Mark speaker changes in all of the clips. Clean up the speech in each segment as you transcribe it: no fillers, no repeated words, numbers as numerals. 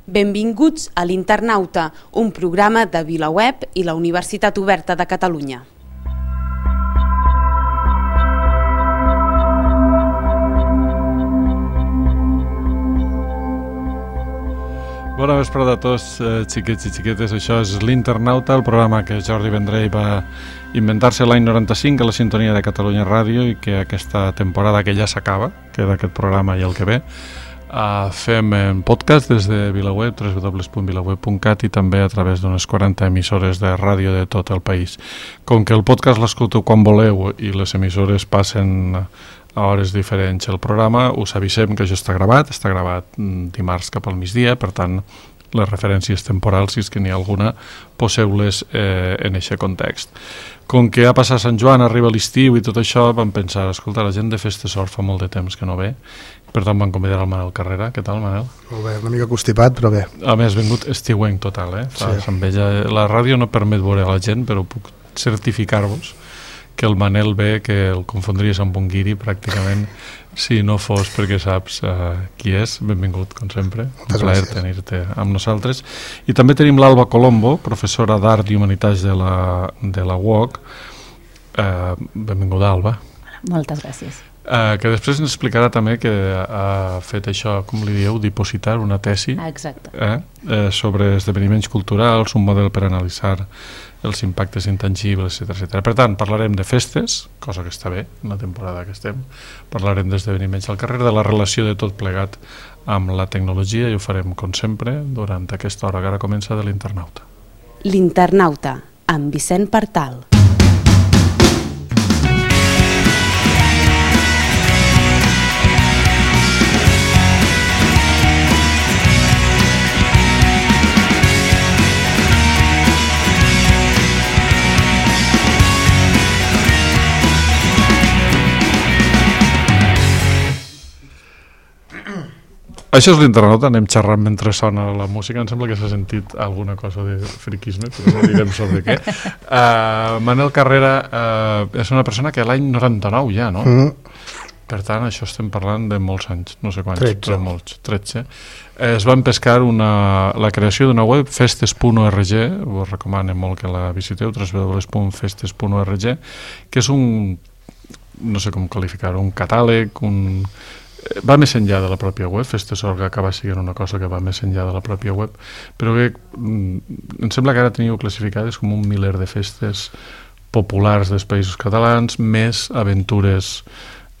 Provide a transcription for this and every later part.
Speaker 1: Benvinguts a l'Internauta, un programa de VilaWeb i la Universitat Oberta de Catalunya.
Speaker 2: Bona vesprada a tots, xiquets i xiquetes. Això és l'Internauta, el programa que Jordi Vendrell va inventar-se l'any 95 a la sintonia de Catalunya Ràdio i que aquesta temporada que ja s'acaba, que d'aquest programa i el que ve, fem en podcast des de VilaWeb, www.vilaweb.cat i també a través d'unes 40 emissores de ràdio de tot el país. Com que el podcast l'escolteu quan voleu i les emissores passen a hores diferents el programa, us avisem que això està gravat dimarts cap al migdia, per tant les referències temporals, si és que n'hi ha alguna, poseu-les en aquest context. Com que ha passat Sant Joan, arriba l'estiu i tot això, vam pensar, escolta, la gent de Festesort fa molt de temps que no ve, per tant vam convidar el Manel Carrera. Què tal, Manel?
Speaker 3: Molt bé, una mica constipat, però bé.
Speaker 2: A més, vingut estiuenc total,
Speaker 3: Sí.
Speaker 2: La ràdio no permet veure la gent, però puc certificar-vos que el Manel ve, que el confondries amb un guiri pràcticament, si no fos perquè saps qui és. Benvingut, com sempre. Un plaer tenir-te amb nosaltres. I també tenim l'Alba Colombo, professora d'Art i Humanitats de la UOC. Benvinguda, Alba.
Speaker 4: Moltes gràcies.
Speaker 2: Que després ens explicarà també que ha fet això, com li dieu, dipositar una tesi sobre esdeveniments culturals, un model per analitzar els impactes intangibles, etc. Per tant, parlarem de festes, cosa que està bé en la temporada que estem, parlarem d'esdeveniments al carrer, de la relació de tot plegat amb la tecnologia, i ho farem, com sempre, durant aquesta hora que ara comença de l'Internauta.
Speaker 1: L'Internauta, amb Vicent Partal.
Speaker 2: Això és l'Internauta, anem xerrant mentre sona la música. Em sembla que s'ha sentit alguna cosa de friquisme, però no direm sobre què. Manel Carrera és una persona que l'any 99 ja, no? Per tant, això estem parlant de molts anys, no sé quants,
Speaker 3: 13.
Speaker 2: però molts, 13. Es va empescar la creació d'una web, festes.org, us recomano molt que la visiteu, www.festes.org, que és un, no sé com qualificar-ho, un catàleg, va més enllà de la pròpia web. Festesort acaba sent una cosa que va més enllà de la pròpia web, però que em sembla que ara teniu classificades com un miler de festes populars dels països catalans, més aventures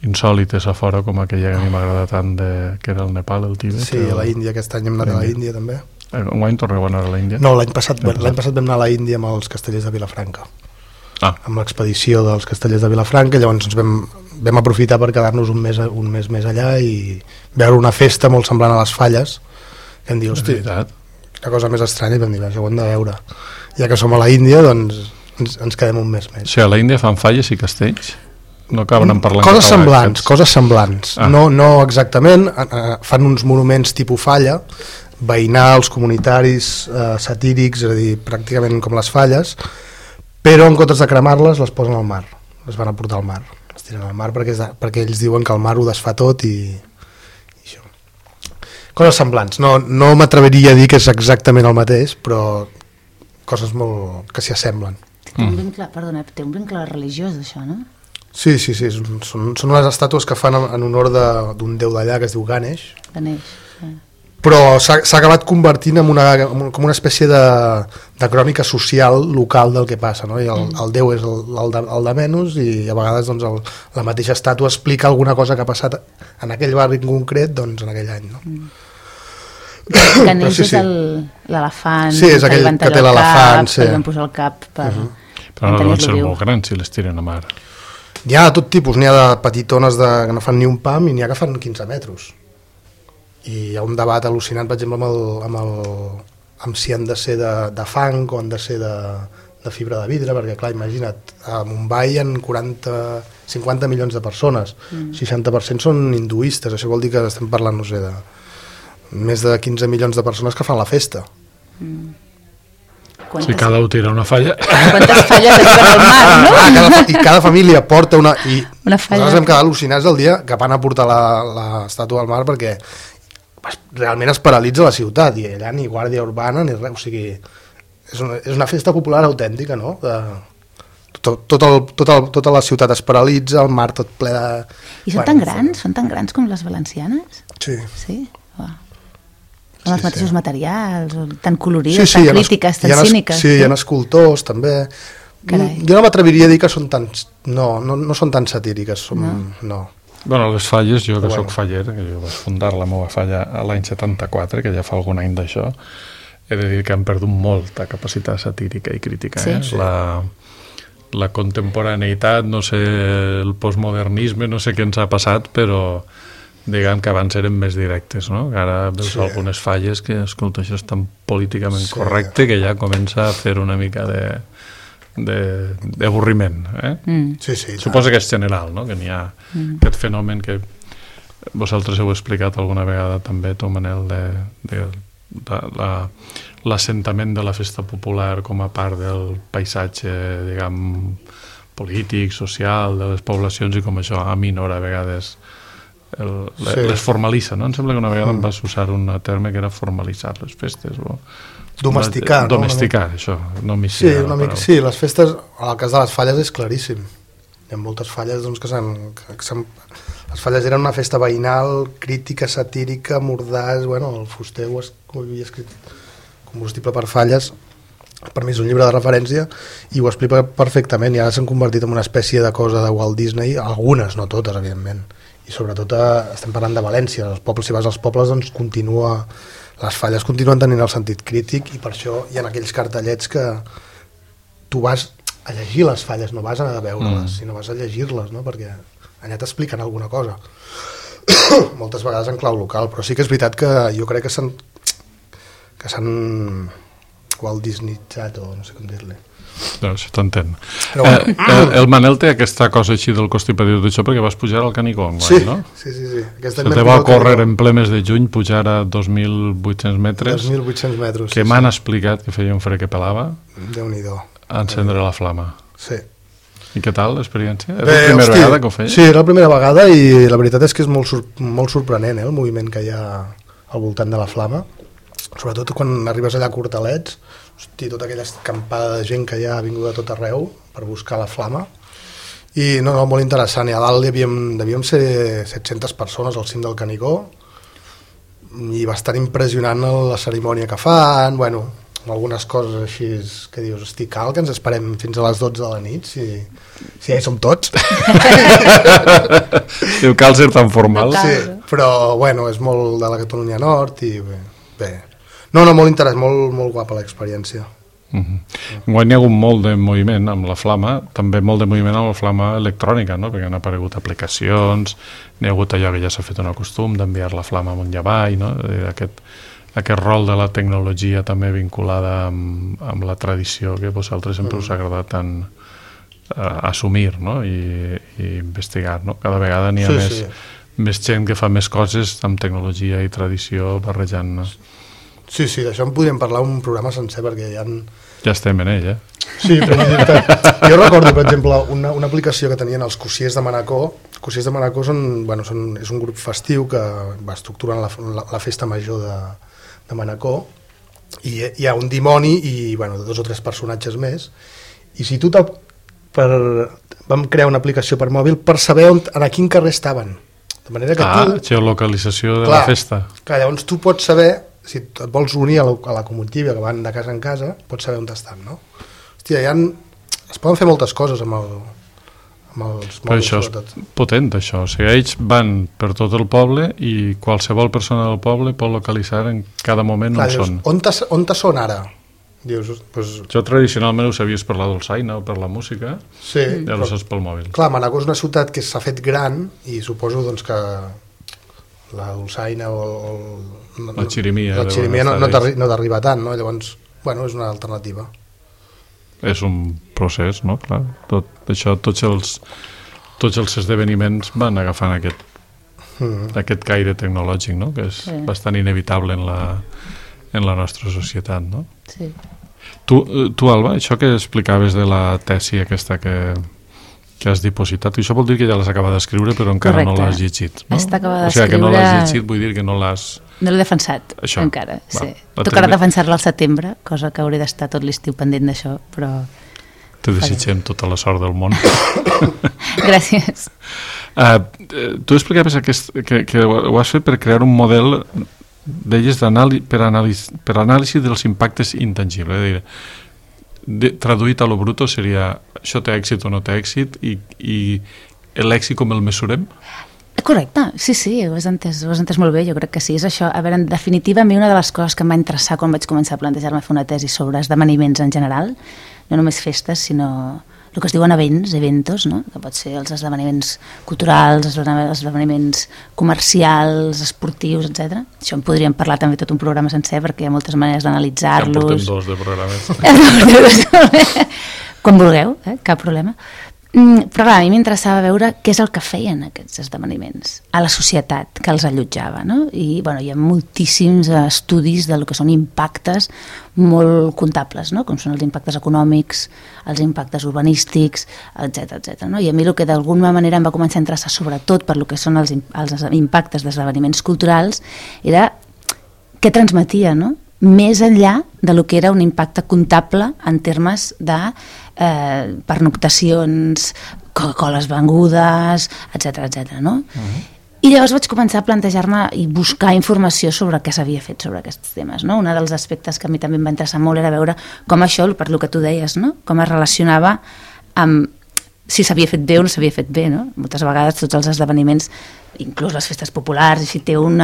Speaker 2: insòlites a fora, com aquella que a mi m'agrada tant, que era el Nepal, el Tibet.
Speaker 3: Sí, a la Índia, aquest any hem anat a la Índia també.
Speaker 2: Enguany torneu a anar a la Índia?
Speaker 3: No, l'any passat vam anar a la Índia amb els castellers de Vilafranca, amb l'expedició dels castellers de Vilafranca. Llavors ens vam aprofitar per quedar-nos un mes més allà i veure una festa molt semblant a les Falles, que em diu, hosti, una cosa més estranya, i vam dir, això ho hem de veure. Ja que som a la Índia, doncs ens quedem un mes més.
Speaker 2: O sigui, a la Índia fan falles i castells? No acaben parlant
Speaker 3: coses semblants. No exactament, fan uns monuments tipus falla, veïnals, comunitaris, satírics, és a dir, pràcticament com les falles, però en comptes de cremar-les les posen al mar, les van a portar al mar, les tiren al mar perquè ells diuen que el mar ho desfà tot i això. Coses semblants, no m'atreviria a dir que és exactament el mateix, però coses molt que s'hi assemblen.
Speaker 4: Té un vincle religiós això, no?
Speaker 3: Sí, són unes estàtues que fan en honor d'un déu d'allà que es diu Ganesh. Però s'ha acabat convertint en com una espècie de crònica social local del que passa, no? I el déu és el de menys, i a vegades doncs, la mateixa estàtua explica alguna cosa que ha passat en aquell barri en concret, doncs, en aquell any, no?
Speaker 4: Ganesh és l'elefant,
Speaker 3: sí, és aquell que té l'elefant,
Speaker 4: que li van posar el cap per
Speaker 2: però no deuen ser molt grans si les tiren a mar.
Speaker 3: N'hi ha de tot tipus, n'hi ha de petitones que no fan ni un pam i n'hi ha que fan 15 metres. I hi ha un debat al·lucinant, per exemple, amb si han de ser de fang o han de ser de fibra de vidre, perquè clar, imagina't, a Mumbai hi ha 50 milions de persones, 60% són hinduistes, això vol dir que estem parlant, no sé, de més de 15 milions de persones que fan la festa.
Speaker 2: Si cada un tira una falla...
Speaker 4: Quantes falles arriben al mar, no?
Speaker 3: I cada família porta una falla.
Speaker 4: Nosaltres
Speaker 3: vam quedar al·lucinats el dia que van a portar l'estàtua al mar, perquè realment es paralitza la ciutat, i allà ni guàrdia urbana ni res, o sigui, és una festa popular autèntica, no? Tota la ciutat es paralitza, el mar tot ple de...
Speaker 4: I són tan grans com les valencianes?
Speaker 3: Sí.
Speaker 4: Sí? Uau. Amb els mateixos materials, tan colorides, tan crítiques, tan cíniques.
Speaker 3: Sí, hi ha escultors també.
Speaker 4: Carai.
Speaker 3: Jo no m'atreviria a dir que són tan... No són tan satíriques, no.
Speaker 2: Bueno, les falles, jo que soc faller, que jo vaig fundar la meva falla l'any 74, que ja fa algun any d'això, he de dir que han perdut molta capacitat satírica i crítica.
Speaker 4: Sí.
Speaker 2: La contemporaneïtat, no sé, el postmodernisme, no sé què ens ha passat, però diguem que abans eren més directes, no? Ara veus algunes falles que, escolta, això és tan políticament correcte que ja comença a fer una mica d'avorriment.
Speaker 3: Sí,
Speaker 2: suposo que és general, no? Que n'hi ha aquest fenomen que vosaltres heu explicat alguna vegada també, tu, Manel, de l'assentament de la festa popular com a part del paisatge, diguem, polític, social, de les poblacions, i com això aminora a vegades les formalitza, no? Em sembla que una vegada em vas usar un terme que era formalitzar les festes o
Speaker 3: domesticar, no?
Speaker 2: Domesticar, això, no
Speaker 3: sí, les festes, en el cas de les falles és claríssim. Hi ha moltes falles doncs, les falles eren una festa veïnal, crítica, satírica, mordàs, el Fuster ho havia escrit Combustible per falles, per mi és un llibre de referència i ho explica perfectament, i ara s'han convertit en una espècie de cosa de Walt Disney, algunes, no totes, evidentment, i sobretot estem parlant de València, els pobles, si vas als pobles doncs les falles continuen tenint el sentit crític, i per això hi ha aquells cartellets que tu vas a llegir les falles, no vas a veure-les, sinó vas a llegir-les, no? Perquè allà t'expliquen alguna cosa. Moltes vegades en clau local, però sí que és veritat que jo crec que s'han Walt Disneyzat, o no sé com dir-li.
Speaker 2: No, això t'entén. El Manel té aquesta cosa així del constipatiu d'això perquè vas pujar al Canigó enguany, no?
Speaker 3: Sí.
Speaker 2: Se te va córrer en ple mes de juny pujar a 2.800 metres.
Speaker 3: 2.800 metres,
Speaker 2: que m'han explicat que feia un fred que pelava.
Speaker 3: Déu-n'hi-do.
Speaker 2: A encendre la flama.
Speaker 3: Sí.
Speaker 2: I què tal l'experiència? És la primera vegada que ho feia?
Speaker 3: Sí, era la primera vegada, i la veritat és que és molt sorprenent, el moviment que hi ha al voltant de la flama. Sobretot quan arribes allà a Cortalets, hosti, tota aquella acampada de gent que ja ha vingut de tot arreu per buscar la flama, i molt interessant. I a dalt devíem ser 700 persones al cim del Canigó, i bastant impressionant la cerimònia que fan, algunes coses així que dius, hosti, cal que ens esperem fins a les 12 de la nit si ja hi som tots.
Speaker 2: Diu, cal ser tan formal.
Speaker 3: Sí, però és molt de la Catalunya Nord, i bé. Molt interessant, molt guapa l'experiència.
Speaker 2: Enguany hi ha hagut molt de moviment amb la flama, també molt de moviment amb la flama electrònica, no? Perquè han aparegut aplicacions, n'hi ha hagut allò que ja s'ha fet un costum d'enviar la flama amunt i avall, no? Aquest rol de la tecnologia també vinculada amb la tradició que a vosaltres sempre us ha agradat tant assumir, no? I investigar, no? Cada vegada n'hi ha més gent que fa més coses amb tecnologia i tradició barrejant.
Speaker 3: Sí, d'això en podríem parlar un programa sencer, perquè
Speaker 2: ja estem en ell,
Speaker 3: Sí, però jo recordo, per exemple, una aplicació que tenien els Cossiers de Manacor. Els Cossiers de Manacor és un grup festiu que va estructurant la festa major de Manacor, i hi ha un dimoni i 2 o 3 personatges més, i si tu vam crear una aplicació per mòbil per saber a quin carrer estaven, de manera que tu...
Speaker 2: Geolocalització de la festa.
Speaker 3: Clar, llavors tu pots saber, si et vols unir a la comitiva que van de casa en casa, pots saber on estan, no? Hòstia, es poden fer moltes coses amb els mòbils.
Speaker 2: Però això és potent, això. O sigui, ells van per tot el poble i qualsevol persona del poble pot localitzar en cada moment on són.
Speaker 3: On són ara? Dius,
Speaker 2: jo tradicionalment ho sabies per la dolçaina o per la música,
Speaker 3: i
Speaker 2: ara ho saps pel mòbil.
Speaker 3: Clar, Manacor és una ciutat que s'ha fet gran, i suposo que la dolçaina o
Speaker 2: la xirimia
Speaker 3: no t'arriba tant, no? Llavors, és una alternativa.
Speaker 2: És un procés, no? Clar, tots els esdeveniments van agafant aquest caire tecnològic, no? Que és bastant inevitable en la nostra societat, no?
Speaker 4: Sí.
Speaker 2: Tu, Alba, això que explicaves de la tesi aquesta que has dipositat, això vol dir que ja l'has acabat d'escriure però encara no l'has llegit, no?
Speaker 4: Està acabada
Speaker 2: d'escriure... O sigui, que no l'has llegit vull dir que no l'has
Speaker 4: No l'he defensat encara. Tocarà defensar-la al setembre, cosa que hauré d'estar tot l'estiu pendent d'això, però...
Speaker 2: Te desitgem tota la sort del món.
Speaker 4: Gràcies.
Speaker 2: Tu explicaves que ho has fet per crear un model, deies, per anàlisi dels impactes intangibles. Traduït a lo bruto seria això té èxit o no té èxit i l'èxit com el mesurem?
Speaker 4: Correcte, sí, ho has entès molt bé, jo crec que sí, és això. A veure, en definitiva, a mi una de les coses que em va interessar quan vaig començar a plantejar-me fer una tesi sobre esdeveniments en general, no només festes, sinó el que es diuen eventos, no? Que pot ser els esdeveniments culturals, els esdeveniments comercials, esportius, etc. Això en podríem parlar també tot un programa sencer, perquè hi ha moltes maneres d'analitzar-los.
Speaker 2: Ja en portem 2 de programes.
Speaker 4: Quan vulgueu, cap problema. Però clar, a mi m'interessava veure què és el que feien aquests esdeveniments a la societat que els allotjava, no? I hi ha moltíssims estudis del que són impactes molt comptables, no? Com són els impactes econòmics, els impactes urbanístics, etc. No? I a mi el que d'alguna manera em va començar a interessar, sobretot per el que són els impactes d'esdeveniments culturals, era què transmetia, no? Més enllà de lo que era un impacte comptable en termes de pernoctacions, Coca-Coles vengudes, etc. No? I llavors vaig començar a plantejar-me i buscar informació sobre què s'havia fet sobre aquests temes. No? Un dels aspectes que a mi també em va interessar molt era veure com això, per lo que tu deies, no? Com es relacionava amb si s'havia fet bé o no s'havia fet bé. No? Moltes vegades tots els esdeveniments, inclús les festes populars, si té un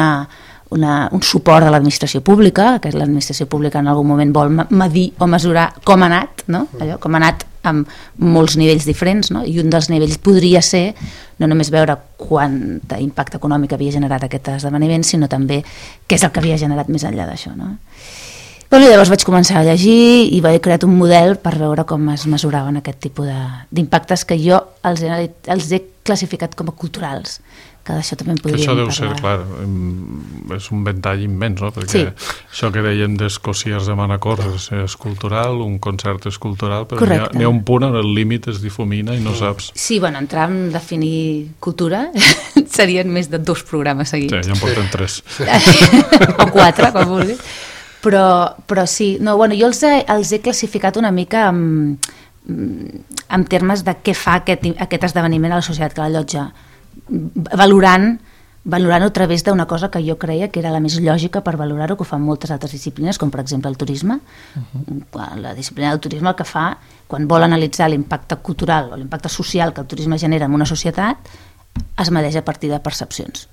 Speaker 4: suport de l'administració pública, que l'administració pública en algun moment vol medir o mesurar com ha anat, no? Allò, com ha anat amb molts nivells diferents, no? I un dels nivells podria ser no només veure quant d'impacte econòmic havia generat aquest esdeveniment, sinó també què és el que havia generat més enllà d'això. No? Llavors vaig començar a llegir i vaig crear un model per veure com es mesuraven aquest tipus d'impactes que jo els he classificat com a culturals, que d'això també en podríem parlar.
Speaker 2: Això deu ser, clar, és un ventall immens, no? Perquè això que dèiem d'Escòcies de Manacor és cultural, un concert és cultural, però n'hi ha un punt on el límit es difumina i no saps.
Speaker 4: Sí, entrar a definir cultura serien més de 2 programes seguits.
Speaker 2: Sí, ja en portem 3.
Speaker 4: O 4, com vulguis. Però sí, jo els he classificat una mica en termes de què fa aquest esdeveniment a la societat que l'allotja, valorant-ho a través d'una cosa que jo creia que era la més lògica per valorar-ho, que ho fan moltes altres disciplines, com per exemple el turisme. La disciplina del turisme el que fa, quan vol analitzar l'impacte cultural o l'impacte social que el turisme genera en una societat, es medeix a partir de percepcions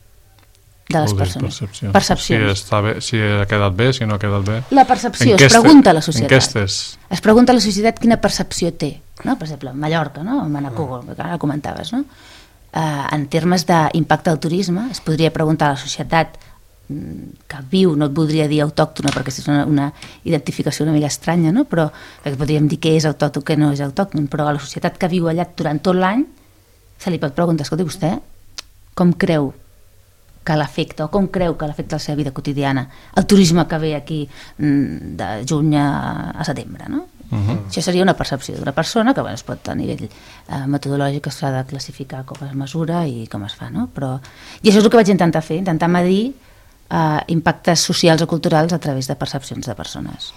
Speaker 4: de les persones. Percepcions.
Speaker 2: Si ha quedat bé, si no ha quedat bé.
Speaker 4: La percepció, es pregunta a la societat.
Speaker 2: Enquestes.
Speaker 4: Es pregunta a la societat quina percepció té. No? Per exemple, Mallorca, no? Manacor, que ara comentaves, no? En termes d'impacte del turisme, es podria preguntar a la societat que viu, no et voldria dir autòctona perquè és una identificació una mica estranya, no? Però podríem dir què és autòcton, què no és autòcton, però a la societat que viu allà durant tot l'any se li pot preguntar, escolti, vostè com creu que l'afecta o com creu que l'afecta la seva vida quotidiana el turisme que ve aquí de juny a setembre, no? Això seria una percepció d'una persona que es pot a nivell metodològic s'ha de classificar com es mesura i com es fa, no? I això és el que vaig intentar fer, intentar medir impactes socials o culturals a través de percepcions de persones.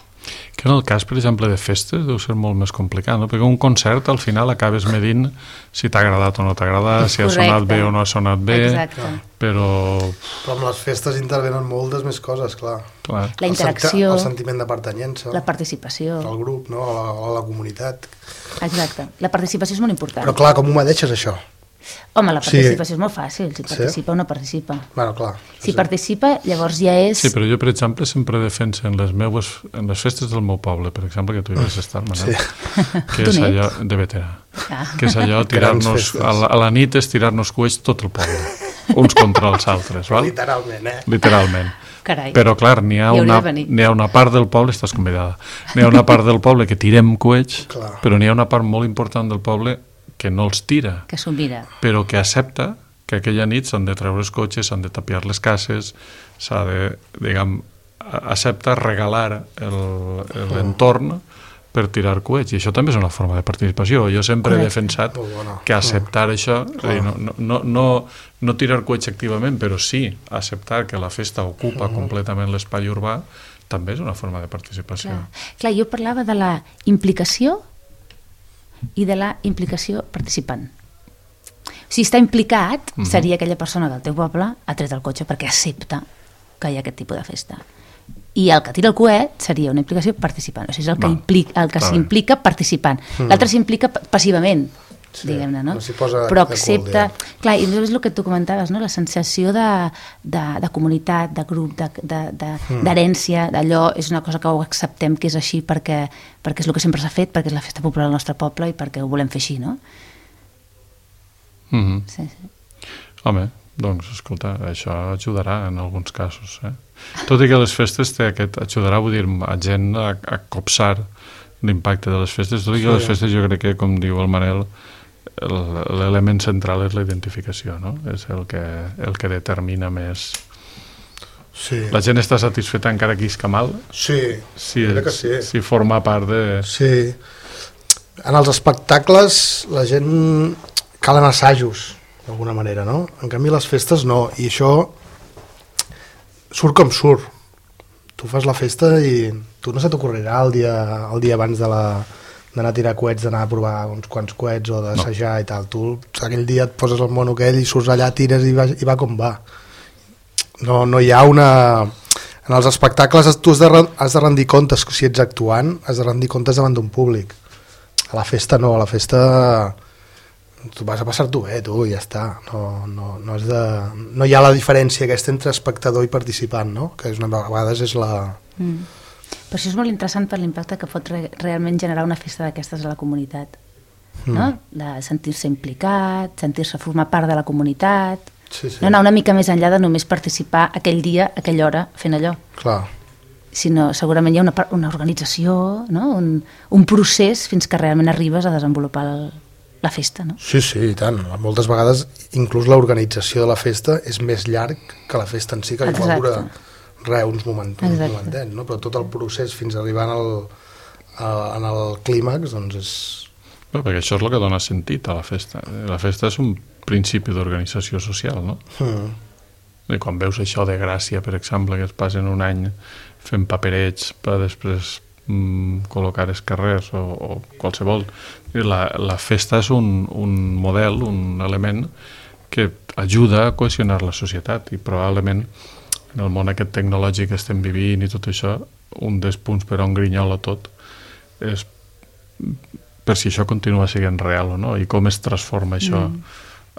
Speaker 2: Que en el cas, per exemple, de festes deu ser molt més complicat, no? Perquè un concert al final acabes medint si t'ha agradat o no t'ha agradat, si ha sonat bé o no ha sonat bé.
Speaker 4: Exacte.
Speaker 2: Però
Speaker 3: amb les festes intervenen moltes més coses, clar.
Speaker 4: La interacció,
Speaker 3: el sentiment de pertanyença,
Speaker 4: la participació,
Speaker 3: el grup, no? a la comunitat.
Speaker 4: Exacte, la participació és molt important.
Speaker 3: Però clar, com ho medeixes això?
Speaker 4: Home, la participació és molt fàcil, si participa o no participa.
Speaker 3: Bueno, clar.
Speaker 4: Si participa, llavors ja és...
Speaker 2: Sí, però jo, per exemple, sempre defenso en les festes del meu poble, per exemple, que tu hi vas estar, Manel, que és allò de veterà, que és allò tirar-nos, a la nit és tirar-nos coets tot el poble, uns contra els altres, val?
Speaker 3: Literalment,
Speaker 2: Literalment.
Speaker 4: Carai.
Speaker 2: Però clar, n'hi ha una part del poble, estàs convidada, n'hi ha una part del poble que tirem coets, però n'hi ha una part molt important del poble que no els tira,
Speaker 4: que s'ho mira,
Speaker 2: però que accepta que aquella nit s'han de treure els cotxes, s'han de tapiar les cases, s'ha de, accepta regalar l'entorn per tirar coets, i això també és una forma de participació. Jo sempre he defensat que acceptar això, no tirar coets activament, però sí acceptar que la festa ocupa completament l'espai urbà, també és una forma de participació.
Speaker 4: Clar, jo parlava de la implicació i de la implicació participant. Si està implicat, seria aquella persona del teu poble ha tret el cotxe perquè accepta que hi ha aquest tipus de festa. I el que tira el coet seria una implicació participant, o sigui, és el que s'implica participant. L'altre s'implica passivament, diguem-ne, no? Però accepta... Clar, i és el que tu comentaves, no? La sensació de comunitat, de grup, d'herència, d'allò, és una cosa que ho acceptem que és així perquè és el que sempre s'ha fet, perquè és la festa popular del nostre poble i perquè ho volem fer així, no? Sí.
Speaker 2: Home, doncs, escolta, això ajudarà en alguns casos, Tot i que les festes ajudarà, vull dir, a gent a copsar l'impacte de les festes, tot i que les festes jo crec que, com diu el Manel, l'element central és la identificació, no? És el que determina més.
Speaker 3: Sí.
Speaker 2: La gent està satisfeta encara que isca mal?
Speaker 3: Sí, crec que sí.
Speaker 2: Si forma part de...
Speaker 3: Sí. En els espectacles la gent calen assajos, d'alguna manera, no? En canvi les festes no, i això surt com surt. Tu fas la festa i tu no se t'ocorrirà el dia abans d'anar a tirar coets, d'anar a provar uns quants coets o d'assajar i tal. Tu aquell dia et poses el mono aquell i surts allà, tires i va com va. No hi ha una... En els espectacles tu has de rendir comptes, si ets actuant, has de rendir comptes davant d'un públic. A la festa no, a la festa... tu vas a passar-t'ho bé, tu, i ja està. No hi ha la diferència aquesta entre espectador i participant, no? Que a vegades és la...
Speaker 4: Per això és molt interessant per l'impacte que pot realment generar una festa d'aquestes a la comunitat, no? De sentir-se implicat, sentir-se formar part de la comunitat, no anar una mica més enllà de només participar aquell dia, aquella hora, fent allò.
Speaker 3: Clar.
Speaker 4: Sinó segurament hi ha una organització, no? Un procés fins que realment arribes a desenvolupar la festa, no?
Speaker 3: Sí, i tant. Moltes vegades inclús l'organització de la festa és més llarg que la festa en si, que igual dura uns momentets, no? Però tot el procés fins a arribar en el clímax, doncs és...
Speaker 2: Però perquè això és el que dona sentit a la festa. La festa és un principi d'organització social, no? I quan veus això de Gràcia, per exemple, que es passen un any fent paperets per després col·locar els carrers o qualsevol. La festa és un model, un element que ajuda a cohesionar la societat i probablement en el món aquest tecnològic que estem vivint i tot això, un dels punts per on grinyola tot és per si això continua sent real o no i com es transforma això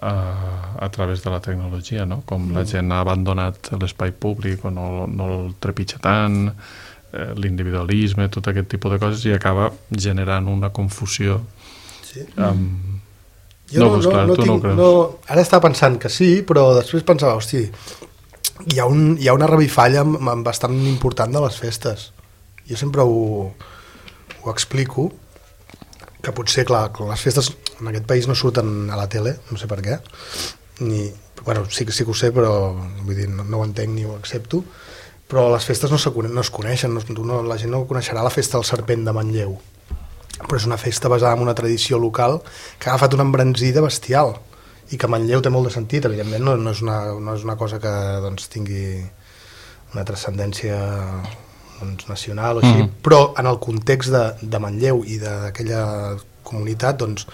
Speaker 2: a través de la tecnologia, no? Com la gent ha abandonat l'espai públic o no el trepitja tant, l'individualisme, tot aquest tipus de coses i acaba generant una confusió.
Speaker 3: Jo ara estava pensant que sí, però després pensava, hosti, hi ha una revifalla bastant important de les festes. Jo sempre ho explico, que potser, clar, les festes en aquest país no surten a la tele, no sé per què, sí que ho sé, però vull dir, no ho entenc ni ho accepto, però les festes no es coneixen, la gent no coneixerà la festa del Serpent de Manlleu, però és una festa basada en una tradició local que ha agafat una embranzida bestial i que a Manlleu té molt de sentit, evidentment no és una cosa que doncs, tingui una transcendència nacional o així, però en el context de Manlleu i d'aquella comunitat doncs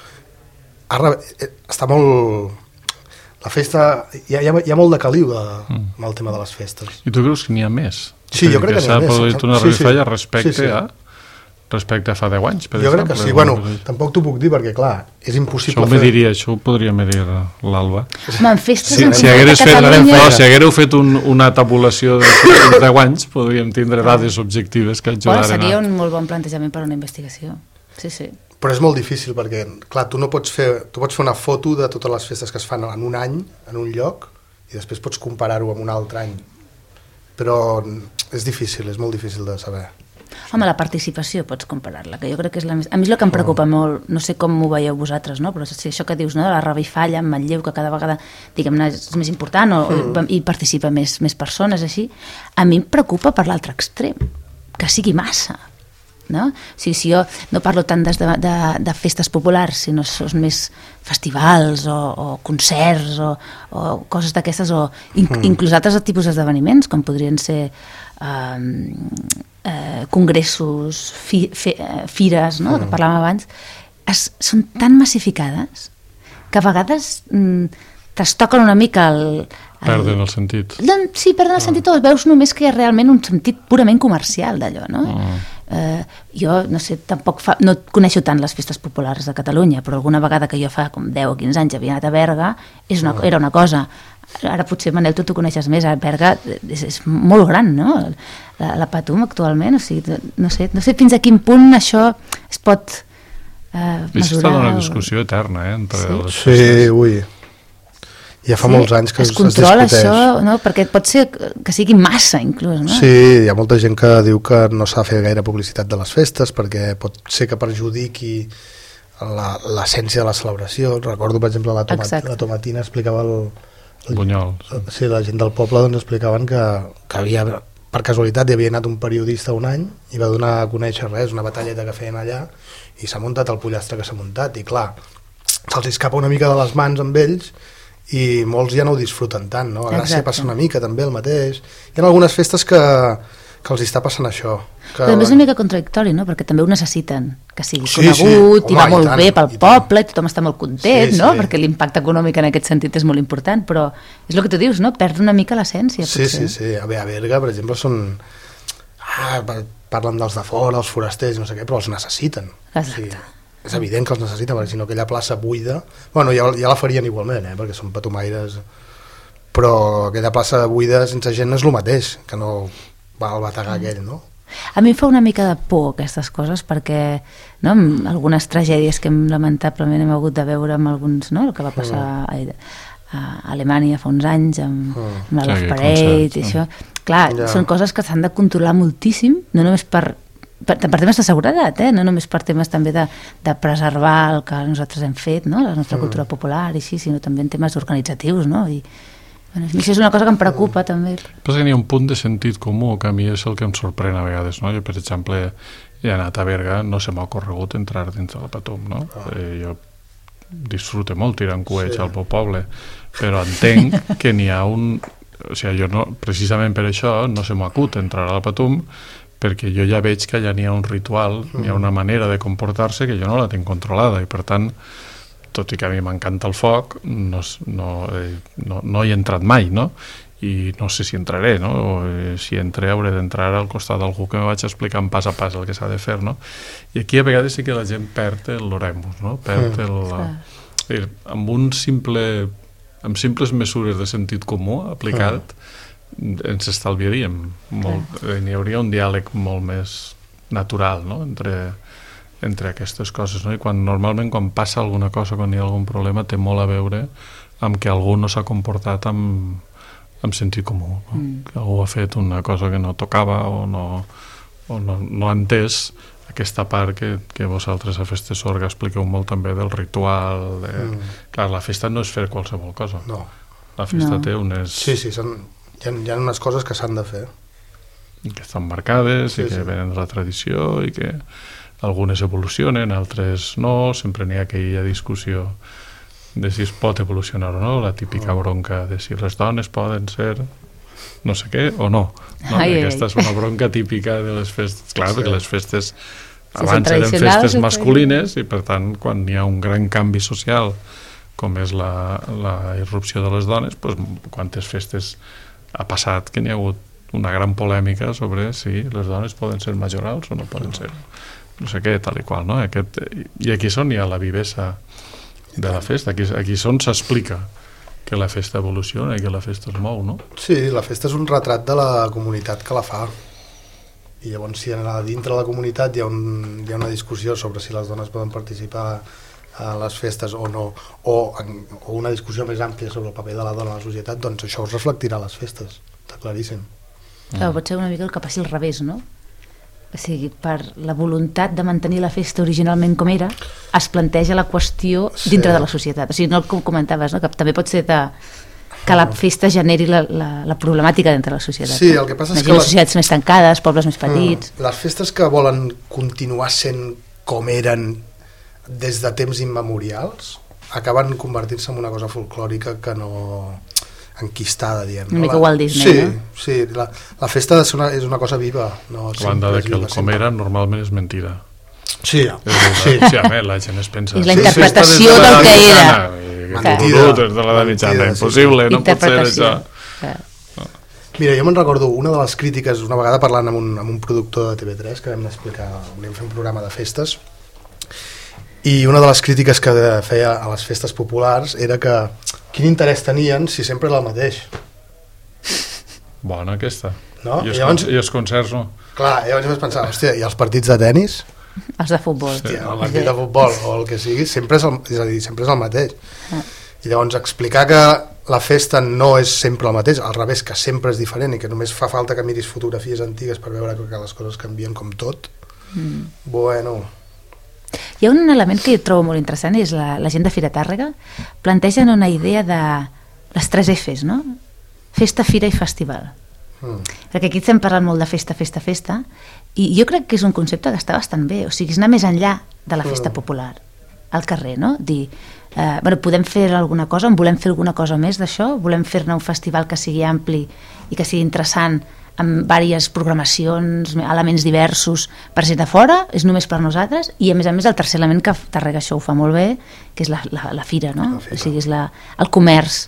Speaker 3: està molt... La festa, hi ha molt de caliu amb el tema de les festes.
Speaker 2: I tu creus que n'hi ha més?
Speaker 3: Sí, jo crec que n'hi ha més.
Speaker 2: S'ha produït una revifalla respecte a fa 10 anys, per exemple?
Speaker 3: Jo crec que sí. Bueno, tampoc t'ho puc dir perquè, clar, és impossible fer...
Speaker 2: Això ho podria medir l'Alba.
Speaker 4: Home, en festes
Speaker 2: si haguéreu fet una tabulació de 10 anys, podríem tindre dades objectives que ajudaran a...
Speaker 4: Seria un molt bon plantejament per a una investigació. Sí.
Speaker 3: Però és molt difícil perquè, clar, tu pots fer una foto de totes les festes que es fan en un any, en un lloc, i després pots comparar-ho amb un altre any. Però és difícil, és molt difícil de saber.
Speaker 4: Home, la participació pots comparar-la, que jo crec que és la més... A mi és el que em preocupa molt, no sé com ho veieu vosaltres, no? Però si això que dius, no? De la revifalla en Manlleu, que cada vegada, diguem-ne, és més important i participa més persones, així, a mi em preocupa per l'altre extrem, que sigui massa. no? O sigui, si jo no parlo tant de festes populars, sinó són més festivals o concerts o coses d'aquestes, o inclús altres tipus d'esdeveniments, com podrien ser congressos, fires, no? Que parlàvem abans, són tan massificades que a vegades trastoquen una mica
Speaker 2: perden el sentit.
Speaker 4: Sí, perden el sentit, o veus només que hi ha realment un sentit purament comercial d'allò, no? Jo, no sé, tampoc no coneixo tant les festes populars de Catalunya, però alguna vegada que jo fa com 10 o 15 anys havia anat a Berga, era una cosa. Ara potser, Manel, tu coneixes més. A Berga és molt gran, no? La Patum actualment, o sigui, no sé fins a quin punt això es pot mesurar.
Speaker 2: Està una discussió eterna, entre les
Speaker 3: festes. Sí, ui. Ja fa molts anys que es
Speaker 4: controla
Speaker 3: discuteix.
Speaker 4: Això, no? Perquè pot ser que sigui massa, inclús, no?
Speaker 3: Sí, hi ha molta gent que diu que no s'ha de fer gaire publicitat de les festes perquè pot ser que perjudiqui l'essència de la celebració. Recordo, per exemple, la Tomatina explicava
Speaker 2: Bunyols.
Speaker 3: Sí, la gent del poble doncs explicaven que havia, per casualitat, hi havia anat un periodista un any i va donar a conèixer una batalleta que feien allà i s'ha muntat el pollastre que s'ha muntat i clar, se'ls escapa una mica de les mans amb ells i molts ja no ho disfruten tant, no? A Gràcia passa una mica també el mateix. Hi ha algunes festes que els està passant això.
Speaker 4: Però també és una mica contradictori, no? Perquè també ho necessiten, que sigui conegut i va molt bé pel poble i tothom està molt content, no? Perquè l'impacte econòmic en aquest sentit és molt important, però és el que tu dius, no? Perd una mica l'essència, potser.
Speaker 3: Sí. A Berga, per exemple, són... parlen dels de fora, els forasters, no sé què, però els necessiten.
Speaker 4: Exacte.
Speaker 3: És evident que els necessita, perquè si no aquella plaça buida... Bueno, ja la farien igualment, perquè són patumaires, però aquella plaça buida sense gent és el mateix, que no va al bategar aquell, no?
Speaker 4: A mi em fa una mica de por aquestes coses, perquè no, amb algunes tragèdies que lamentablement hem hagut de veure amb alguns, no? El que va passar a Alemanya fa uns anys amb la Love Parade i això. Clar, són coses que s'han de controlar moltíssim, no només per temes de seguretat, no només per temes també de preservar el que nosaltres hem fet, no? La nostra cultura popular i així, sinó també en temes organitzatius, no? I bueno, això és una cosa que em preocupa també.
Speaker 2: Però que hi ha un punt de sentit comú que a mi és el que em sorprèn a vegades, no? Jo, per exemple, he anat a Berga, no se m'ha ocorregut entrar dins del Patum, no? Jo disfruto molt tirant coets al meu poble, però entenc que n'hi ha un... O sigui, jo no, precisament per això no se m'acut entrar al Patum, perquè jo ja veig que allà n'hi ha un ritual, n'hi ha una manera de comportar-se que jo no la tinc controlada i per tant, tot i que a mi m'encanta el foc, no hi he entrat mai, no? I no sé si entraré, no? O si entré hauré d'entrar al costat d'algú que me vaig explicant pas a pas el que s'ha de fer, no? I aquí a vegades sí que la gent perd l'oremus, no? Perd amb simples mesures de sentit comú aplicat ens estalviaríem molt, n'hi hauria un diàleg molt més natural, no? entre aquestes coses, no? I normalment quan passa alguna cosa, quan hi ha algun problema, té molt a veure amb que algú no s'ha comportat amb sentit comú, no? Que algú ha fet una cosa que no tocava o no ha entès aquesta part que vosaltres a Festes Sorga expliqueu molt també del ritual clar, la festa no és fer qualsevol cosa, la festa té unes...
Speaker 3: Sí, hi ha unes coses que s'han de fer
Speaker 2: que estan marcades i que venen de la tradició i que algunes evolucionen, altres no, sempre n'hi ha aquella discussió de si es pot evolucionar o no, la típica bronca de si les dones poden ser no sé què o no, aquesta és una bronca típica de les festes, clar, perquè les festes abans eren festes masculines i per tant quan hi ha un gran canvi social com és la irrupció de les dones, doncs quantes festes ha passat que n'hi ha hagut una gran polèmica sobre si les dones poden ser majorals o no poden ser no sé què, tal i qual, no? I aquí és on hi ha la vivesa de la festa, aquí és on s'explica que la festa evoluciona i que la festa es mou, no?
Speaker 3: Sí, la festa és un retrat de la comunitat que la fa i llavors si dintre de la comunitat hi ha una discussió sobre si les dones poden participar a les festes o no, o una discussió més àmplia sobre el paper de la dona a la societat, doncs això es reflectirà a les festes, està claríssim.
Speaker 4: Clar, pot ser una mica el que passi al revés, no? O sigui, per la voluntat de mantenir la festa originalment com era, es planteja la qüestió dintre de la societat. O sigui, no el que comentaves, no? Que també pot ser que la festa generi la problemàtica dintre la societat.
Speaker 3: Sí, el que passa és que...
Speaker 4: Les societats més tancades, pobles més petits...
Speaker 3: Les festes que volen continuar sent com eren des de temps immemorials acaben convertint-se en una cosa folclòrica que no... enquistada, diguem.
Speaker 4: Una mica Walt Disney, no?
Speaker 3: Sí, la festa és una cosa viva. No,
Speaker 2: a banda de que el com era normalment és mentida.
Speaker 3: Sí.
Speaker 2: La gent es pensa...
Speaker 4: És la interpretació del que era.
Speaker 2: Mentida. De l'edat mitjana, impossible, no pot ser això.
Speaker 3: Mira, jo me'n recordo una de les crítiques, una vegada parlant amb un productor de TV3, que vam explicar, volíem fer un programa de festes, i una de les crítiques que feia a les festes populars era que quin interès tenien si sempre era el mateix.
Speaker 2: Bona aquesta.
Speaker 3: No?
Speaker 2: I els concerts no.
Speaker 3: Clar, llavors vaig pensar, hòstia, i els partits de tennis?
Speaker 4: Els de futbol.
Speaker 3: Hòstia, el partit de futbol o el que sigui, sempre és el mateix. I llavors explicar que la festa no és sempre el mateix, al revés, que sempre és diferent i que només fa falta que miris fotografies antigues per veure que les coses canvien com tot. Bueno...
Speaker 4: Hi ha un element que jo trobo molt interessant, és la gent de Fira Tàrrega plantegen una idea de les 3 Fs, no? Festa, fira i festival. Perquè aquí estem parlant molt de festa, i jo crec que és un concepte que està bastant bé, o sigui, és anar més enllà de la festa popular al carrer, no? Dir, podem fer alguna cosa, volem fer alguna cosa més d'això, volem fer-ne un festival que sigui ampli i que sigui interessant, amb diverses programacions, elements diversos per gent de fora, és només per nosaltres, i a més el tercer element que Tàrrega això ho fa molt bé, que és la fira, no? O sigui, és el comerç,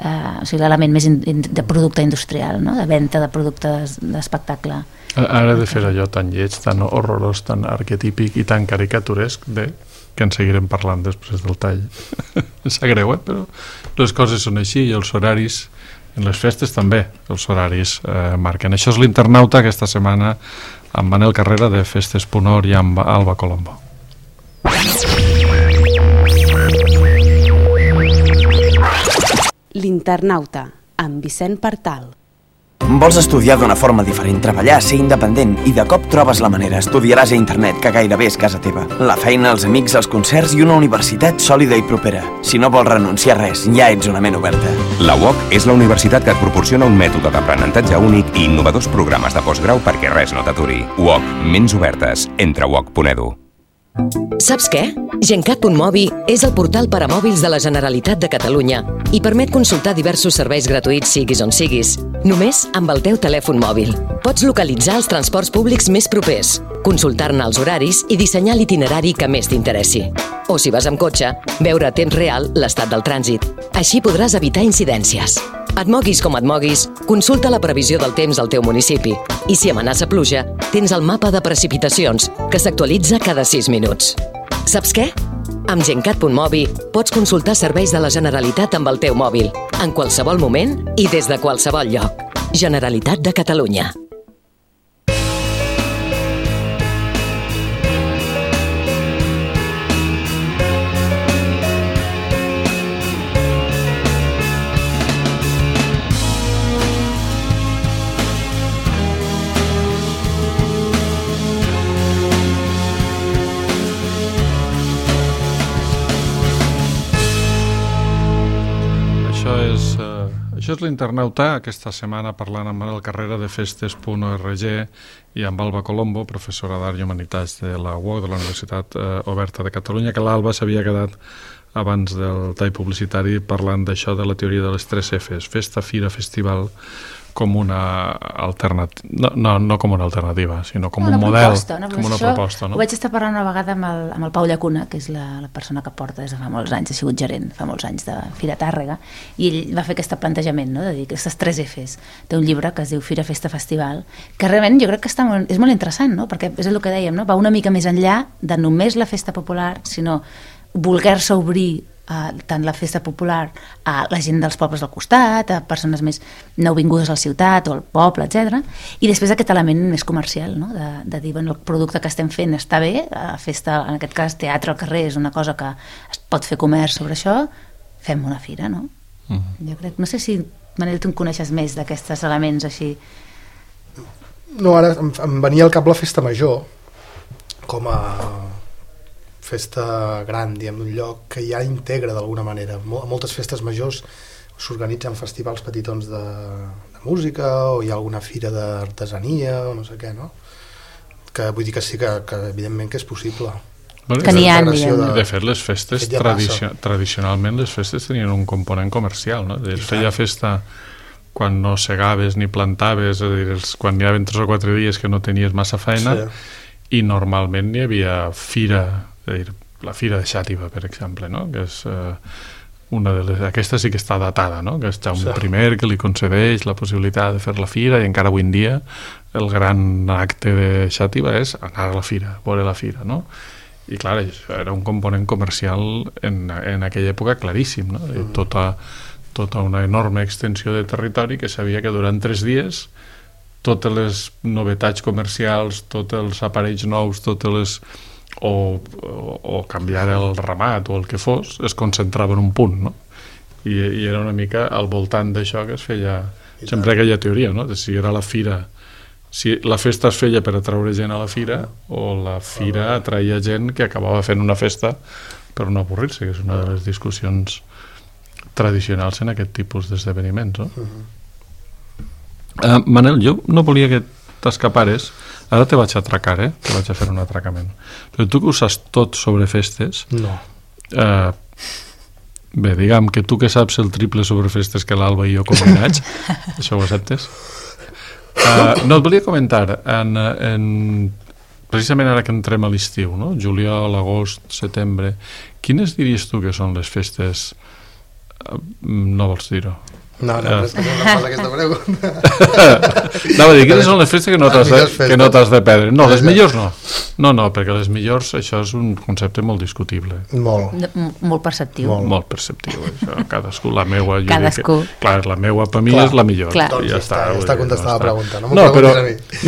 Speaker 4: o sigui, l'element més de producte industrial, no? De venda de productes d'espectacle.
Speaker 2: Ara de fer allò tan lleig, tan horrorós, tan arquetípic i tan caricaturesc, que en seguirem parlant després del tall. Sap greu, però les coses són així i els horaris en les festes també, els horaris marquen. Això és l'Internauta aquesta setmana amb Manel Carrera de Festes.org i amb Alba Colombo.
Speaker 1: L'Internauta amb Vicent Partal.
Speaker 5: Vols estudiar d'una forma diferent, treballar, ser independent i de cop trobes la manera. Estudiaràs a internet, que gairebé és casa teva. La feina, els amics, els concerts i una universitat sòlida i propera. Si no vols renunciar a res, ja ets una ment oberta.
Speaker 6: La UOC és la universitat que et proporciona un mètode d'aprenentatge únic i innovadors programes de postgrau perquè res no t'aturi. UOC, ments obertes. Entra a uoc.edu.
Speaker 7: Saps què? Gencat.mobi és el portal per a mòbils de la Generalitat de Catalunya i permet consultar diversos serveis gratuïts siguis on siguis, només amb el teu telèfon mòbil. Pots localitzar els transports públics més propers, consultar-ne els horaris i dissenyar l'itinerari que més t'interessi. O si vas amb cotxe, veure a temps real l'estat del trànsit. Així podràs evitar incidències. Et moguis com et moguis, consulta la previsió del temps al teu municipi. I si amenaça pluja, tens el mapa de precipitacions, que s'actualitza cada 6 minuts. Saps què? Amb Gencat.mobi pots consultar serveis de la Generalitat amb el teu mòbil, en qualsevol moment i des de qualsevol lloc. Generalitat de Catalunya.
Speaker 2: Això és l'Internauta, aquesta setmana parlant amb Manel Carrera de Festes.org i amb Alba Colombo, professora d'Art i Humanitats de la UOC, de la Universitat Oberta de Catalunya, que l'Alba s'havia quedat abans del tall publicitari parlant d'això, de la teoria de les 3 Fs, festa, fira, festival, com una alternativa, no com una alternativa, sinó com un model, com una proposta.
Speaker 4: Ho vaig estar parlant una vegada amb el Pau Llacuna, que és la persona que porta des de fa molts anys, ha sigut gerent fa molts anys de Fira Tàrrega, i ell va fer aquest plantejament, no? De dir aquestes 3 Fs. Té un llibre que es diu Fira, Festa, Festival, que realment jo crec que és molt interessant, no? Perquè és el que dèiem, no? Va una mica més enllà de només la festa popular, sinó voler-se obrir tant la festa popular a la gent dels pobles del costat, a persones més nouvingudes a la ciutat o al poble, etc. I després aquest element més comercial, no? De dir, bueno, el producte que estem fent està bé, la festa, en aquest cas teatre al carrer és una cosa que es pot fer comerç sobre això, fem una fira, no? Jo crec, no sé si, Manel, tu en coneixes més d'aquests elements així.
Speaker 3: No, ara em venia al cap la festa major com a festa gran, diguem, d'un lloc que ja integra d'alguna manera. A moltes festes majors s'organitzen festivals petitons de música, o hi ha alguna fira d'artesania o no sé què, no? Que vull dir que sí que evidentment que és possible.
Speaker 4: Bueno, que n'hi ha,
Speaker 2: de fet, les festes, tradicionalment les festes tenien un component comercial, no? Es feia festa quan no segaves ni plantaves, és a dir, quan hi havia 3 o 4 dies que no tenies massa feina, i normalment hi havia fira, és a dir, la fira de Xàtiva, per exemple, no? Que és una de les... Aquesta sí que està datada, no? Que és Jaume I que li concedeix la possibilitat de fer la fira, i encara avui en dia el gran acte de Xàtiva és anar a la fira, veure la fira, no? I clar, això era un component comercial en aquella època claríssim, no? Tota una enorme extensió de territori que sabia que durant 3 dies totes les novetats comercials, tots els aparells nous, totes les... o canviar el ramat o el que fos, es concentrava en un punt, no? I era una mica al voltant d'això que es feia sempre aquella teoria, no? De si era la fira, si la festa es feia per atraure gent a la fira o la fira atraïa gent que acabava fent una festa per no avorrir-se, que és una de les discussions tradicionals en aquest tipus d'esdeveniments, no? Manel, jo no volia que t'escapares, ara te vaig atracar, te vaig a fer un atracament, però tu que ho saps tot sobre festes,
Speaker 3: no.
Speaker 2: Bé, diguem que tu que saps el triple sobre festes que l'Alba i jo combinats, això ho acceptes? No, et volia comentar precisament ara que entrem a l'estiu, no? Juliol, agost, setembre, quines diries tu que són les festes? No vols dir-ho?
Speaker 3: No, és que no fas aquesta pregunta.
Speaker 2: No, vull dir, quines són les festes que no t'has de perdre? No, les millors no. No, perquè les millors, això és un concepte molt discutible.
Speaker 4: Molt perceptiu.
Speaker 2: Molt perceptiu, això. Cadascú, la meua...
Speaker 4: Cadascú.
Speaker 2: Clar, la meua per mi és la millor.
Speaker 3: Doncs ja està contestada la pregunta.
Speaker 2: No,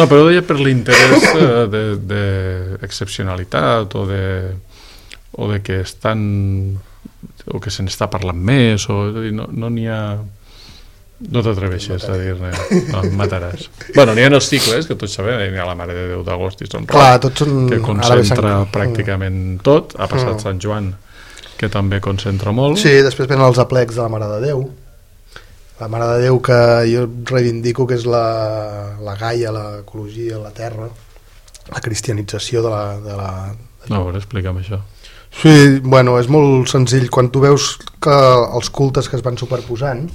Speaker 2: però ho deia per l'interès d'excepcionalitat o de que estan... o que se n'està parlant més, o no n'hi ha... No t'atreveixes a dir-ne, no, em mataràs. Bueno, n'hi ha els cicles, que tots sabem, n'hi ha la Mare de Déu d'Agost i Sant Roc, que concentra pràcticament tot. Ha passat Sant Joan, que també concentra molt.
Speaker 3: Sí, després venen els aplecs de la Mare de Déu. La Mare de Déu que jo reivindico que és la Gaia, l'ecologia, la terra, la cristianització de la...
Speaker 2: No, a veure, explica'm això.
Speaker 3: Sí, bueno, és molt senzill. Quan tu veus que els cultes que es van superposant,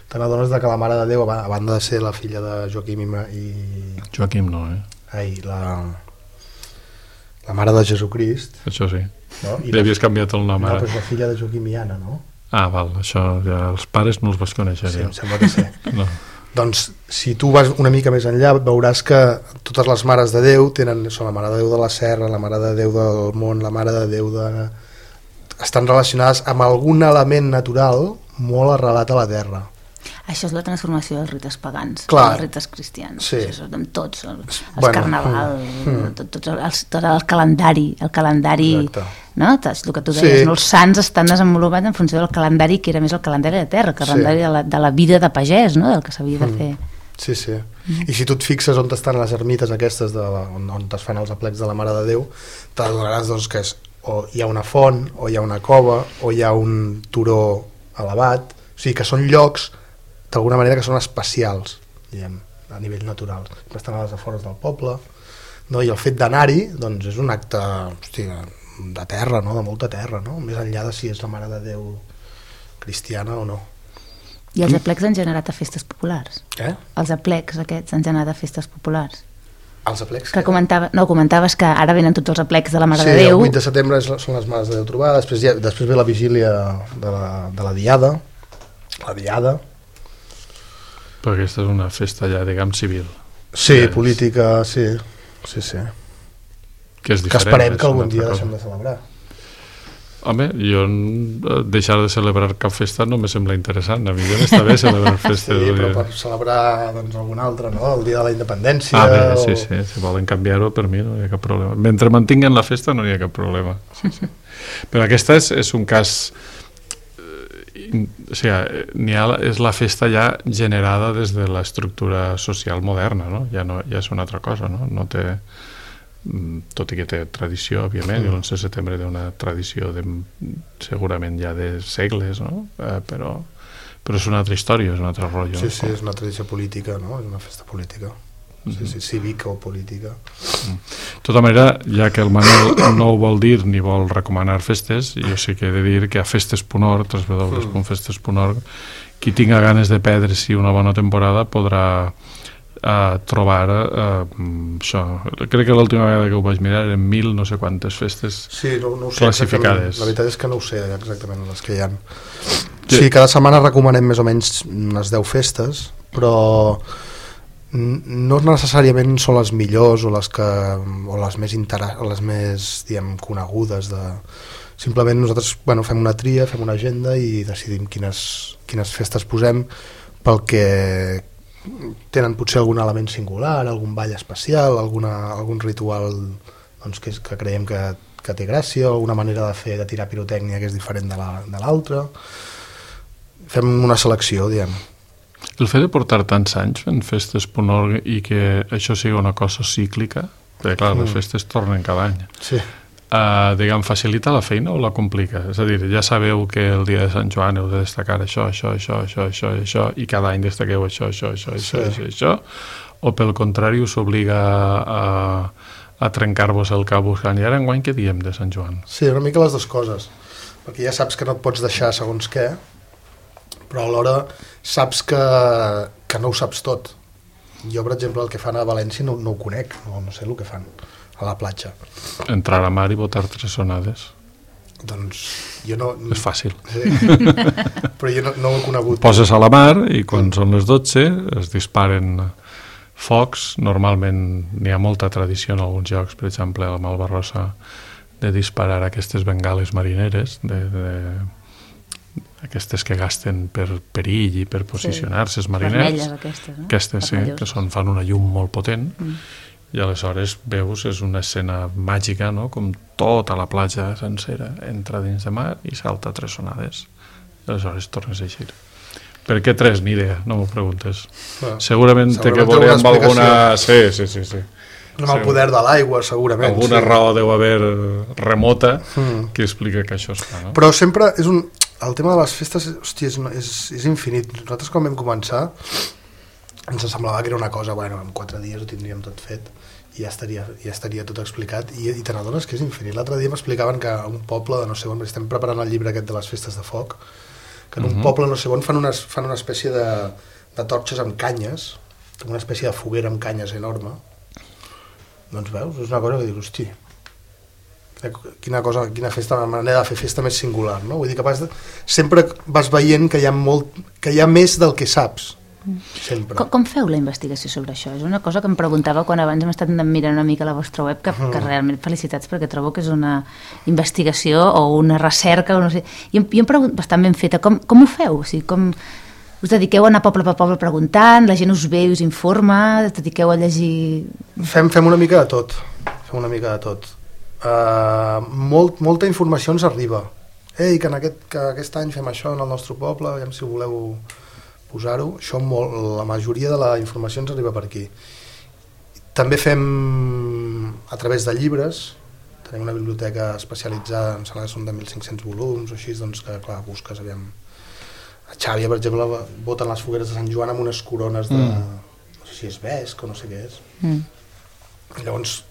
Speaker 3: te n'adones que la Mare de Déu, a banda de ser la filla de Joaquim i...
Speaker 2: Joaquim no,
Speaker 3: Ai, la Mare de Jesucrist.
Speaker 2: Això sí. No? Li havies canviat el nom, ara.
Speaker 3: No, però és la filla de Joaquim i Anna, no?
Speaker 2: Ah, val, això ja els pares no els vas conèixer.
Speaker 3: Sí, em sembla que sí.
Speaker 2: No.
Speaker 3: Doncs, si tu vas una mica més enllà, veuràs que totes les Mares de Déu són la Mare de Déu de la Serra, la Mare de Déu del Mont, la Mare de Déu de... estan relacionades amb algun element natural molt arrelat a la terra.
Speaker 4: Això és la transformació dels rites pagans,
Speaker 3: dels
Speaker 4: rites cristians.
Speaker 3: Sí.
Speaker 4: Això és amb tots, el carnaval, tot el calendari, no? El que tu deies, no? Els sants estan desenvolupats en funció del calendari, que era més el calendari de terra, el calendari de la vida de pagès, no? Del que s'havia de fer.
Speaker 3: Sí. I si tu et fixes on estan les ermites aquestes, on es fan els aplecs de la Mare de Déu, t'adonaràs que o hi ha una font, o hi ha una cova, o hi ha un turó elevat, o sigui que són llocs d'alguna manera que són especials, diguem, a nivell natural. Estan a les afores del poble, no? I el fet d'anar-hi doncs, és un acte de terra, no? De molta terra, no? Més enllà de si és la Mare de Déu cristiana o no.
Speaker 4: I els aplecs han generat a festes populars?
Speaker 3: Què?
Speaker 4: Els aplecs aquests han generat a festes populars?
Speaker 3: Els aplecs?
Speaker 4: Que comentaves que ara venen tots els aplecs de la Mare de Déu.
Speaker 3: Sí, el 8 de setembre són les Mares de Déu trobades, després ve la vigília de la Diada,
Speaker 2: Però aquesta és una festa ja, diguem, civil.
Speaker 3: Sí, política, sí.
Speaker 2: Que és diferent.
Speaker 3: Que esperem que algun dia deixem de celebrar.
Speaker 2: Home, jo deixar de celebrar cap festa no me sembla interessant. A mi ja m'està bé celebrar festes.
Speaker 3: Sí, però per celebrar alguna altra, no? El dia de la independència.
Speaker 2: Sí, si volen canviar-ho, per mi no hi ha cap problema. Mentre mantinguen la festa no hi ha cap problema. Sí. Però aquesta és un cas... O sigui, és la festa ja generada des de l'estructura social moderna, no? Ja és una altra cosa, no? No té, tot i que té tradició, òbviament, i l'11 de setembre té una tradició segurament ja de segles, no? Però Però és una altra història, és un altre rotllo.
Speaker 3: Sí, és una tradició política, no? És una festa política. Sí, cívica o política.
Speaker 2: De tota manera, ja que el Manel no ho vol dir ni vol recomanar festes, jo sí que he de dir que a festes.org, www.festes.org, qui tinga ganes de perdre-s'hi una bona temporada podrà trobar això. Crec que l'última vegada que ho vaig mirar eren 1000 no sé quantes festes classificades.
Speaker 3: La veritat és que no ho sé exactament les que hi ha. Sí, cada setmana recomanem més o menys unes 10 festes, però no necessàriament són les millors o les més diguem, conegudes simplement nosaltres fem una tria, fem una agenda i decidim quines festes posem pel que tenen potser algun element singular, algun ball especial, algun ritual doncs, que creiem que té gràcia, alguna manera de tirar pirotècnia que és diferent de l'altra. Fem una selecció, diguem.
Speaker 2: El fet de portar tants anys fent festes.org i que això sigui una cosa cíclica, perquè clar, les festes tornen cada any, diguem, facilita la feina o la complica? És a dir, ja sabeu que el dia de Sant Joan heu de destacar això, i cada any destaqueu això, o pel contrari us obliga a trencar-vos el cap buscant, i ara enguany què diem de Sant Joan?
Speaker 3: Sí, una mica les dues coses, perquè ja saps que no et pots deixar segons què, però alhora saps que no ho saps tot. Jo, per exemple, el que fan a València no ho conec, no sé el que fan a la platja.
Speaker 2: Entrar a mar i botar 3 onades.
Speaker 3: Doncs jo no...
Speaker 2: És fàcil.
Speaker 3: Sí. Però jo no ho he conegut.
Speaker 2: Poses a la mar i quan són les 12 es disparen focs. Normalment n'hi ha molta tradició en alguns llocs, per exemple a la Malvarrosa, de disparar aquestes bengales marineres, aquestes que gasten per perill i per posicionar-se els mariners.
Speaker 4: Vermelles aquestes, no?
Speaker 2: Aquestes, sí, que fan una llum molt potent. I aleshores veus, és una escena màgica, no? Com tota la platja sencera entra dins de mar i salta 3 onades. I aleshores tornes a eixir. Per què 3? Ni idea, no m'ho preguntes. Segurament té que veure amb alguna... Sí.
Speaker 3: Amb el poder de l'aigua, segurament.
Speaker 2: Alguna raó deu haver remota que explica que això es fa, no?
Speaker 3: Però sempre és un... El tema de les festes, hòstia, és infinit. Nosaltres quan vam començar ens semblava que era una cosa, en 4 dies ho tindríem tot fet i ja estaria tot explicat i te n'adones que és infinit. L'altre dia m'explicaven que un poble de no sé on, estem preparant el llibre aquest de les festes de foc, que en un poble no sé on fan una espècie de torxes amb canyes, com una espècie de foguera amb canyes enorme. Doncs veus, és una cosa que dius, hosti, quina festa, una manera de fer festa més singular, no? Vull dir que sempre vas veient que hi ha més del que saps, sempre.
Speaker 4: Com feu la investigació sobre això? És una cosa que em preguntava quan abans hem estat mirant una mica la vostra web, que realment felicitats, perquè trobo que és una investigació o una recerca, o no sé, i em pregunto, bastant ben feta, com ho feu? O sigui, com us dediqueu a anar poble per poble preguntant, la gent us ve i us informa, us dediqueu a llegir...
Speaker 3: Fem una mica de tot. Molta informació ens arriba. Que aquest any fem això en el nostre poble, aviam si voleu posar-ho. Això la majoria de la informació ens arriba per aquí. També fem a través de llibres. Tenim una biblioteca especialitzada, em sembla que són de 1.500 volums o així, doncs que clar, busques, aviam. A Xàbia, per exemple, boten les fogueres de Sant Joan amb unes corones de... no sé si és vesc o no sé què és. I llavors...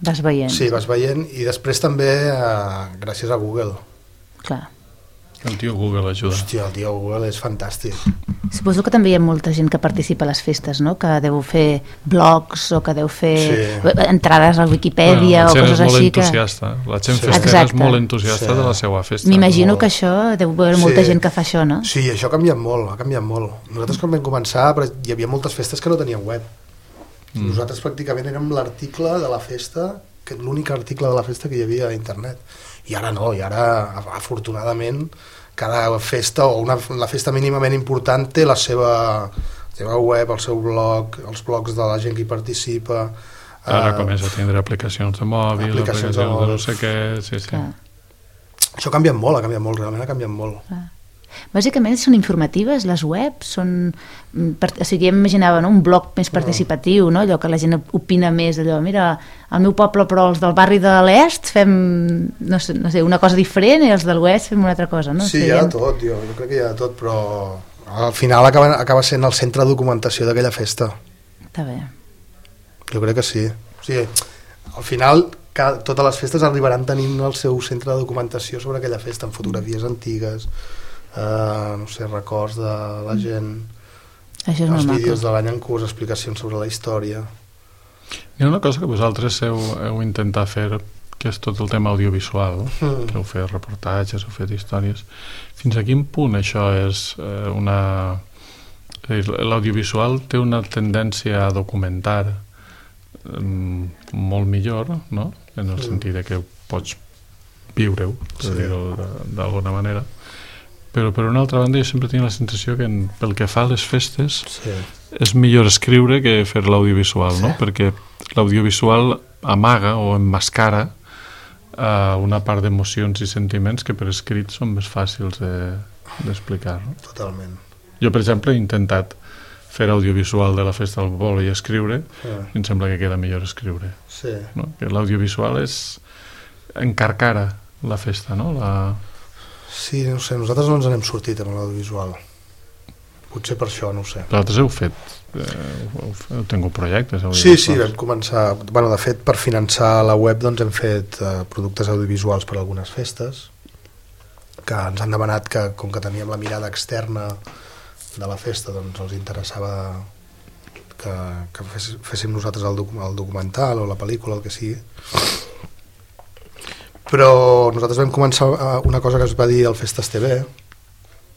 Speaker 4: Vas veient.
Speaker 3: Sí, vas veient, i després també gràcies a Google.
Speaker 4: Clar.
Speaker 2: El tio Google ajuda.
Speaker 3: Hòstia, el tio Google és fantàstic.
Speaker 4: Suposo que també hi ha molta gent que participa a les festes, no? Que deu fer blogs o que deu fer entrades a Wikipedia o coses així.
Speaker 2: La gent festera és molt entusiasta de la seva festa.
Speaker 4: M'imagino que això deu haver molta gent que fa això, no?
Speaker 3: Sí, això ha canviat molt. Nosaltres quan vam començar hi havia moltes festes que no tenien web. Nosaltres pràcticament érem l'article de la festa, l'únic article de la festa que hi havia a internet. I ara no, afortunadament cada festa o la festa mínimament important té la seva web, el seu blog, els blogs de la gent que hi participa.
Speaker 2: Ara comença a tindre aplicacions de mòbil, aplicacions de no sé què... Sí.
Speaker 3: Això ha canviat molt, realment ha canviat molt.
Speaker 4: Bàsicament són informatives, les webs són... O sigui, imaginava un blog més participatiu, no? Allò que la gent opina més, allò, mira, al meu poble però els del barri de l'est fem, no sé, una cosa diferent i els de l'oest fem una altra cosa, no?
Speaker 3: Sí, hi ha de tot, jo crec que hi ha de tot, però al final acaba sent el centre de documentació d'aquella festa.
Speaker 4: Està bé.
Speaker 3: Jo crec que sí. O sigui, al final totes les festes arribaran tenint el seu centre de documentació sobre aquella festa, amb fotografies antigues, no sé, records de la gent, els vídeos de l'any en curs, explicacions sobre la història.
Speaker 2: Hi ha una cosa que vosaltres heu intentat fer, que és tot el tema audiovisual, que heu fet reportatges, heu fet històries. Fins a quin punt això és una... L'audiovisual té una tendència a documentar molt millor, no? En el sentit que pots viure-ho, per dir-ho d'alguna manera. Però per una altra banda jo sempre tinc la sensació que pel que fa a les festes és millor escriure que fer l'audiovisual, no? Perquè l'audiovisual amaga o emmascara una part d'emocions i sentiments que per escrit són més fàcils d'explicar, no?
Speaker 3: Totalment.
Speaker 2: Jo, per exemple, he intentat fer audiovisual de la Festa del Poble i escriure, i em sembla que queda millor escriure.
Speaker 3: Sí.
Speaker 2: No? Que l'audiovisual és encarcara la festa, no?
Speaker 3: Sí, no sé, nosaltres no ens n'hem sortit amb l'audiovisual. Potser per això, no ho sé.
Speaker 2: Vosaltres heu fet, heu tingut projectes
Speaker 3: Sí,
Speaker 2: audiovisuals?
Speaker 3: vam començar... Bueno, de fet, per finançar la web doncs hem fet productes audiovisuals per a algunes festes, que ens han demanat que, com que teníem la mirada externa de la festa, doncs els interessava que féssim nosaltres el documental o la pel·lícula, el que sigui. Però nosaltres vam començar una cosa que es va dir al Festes TV,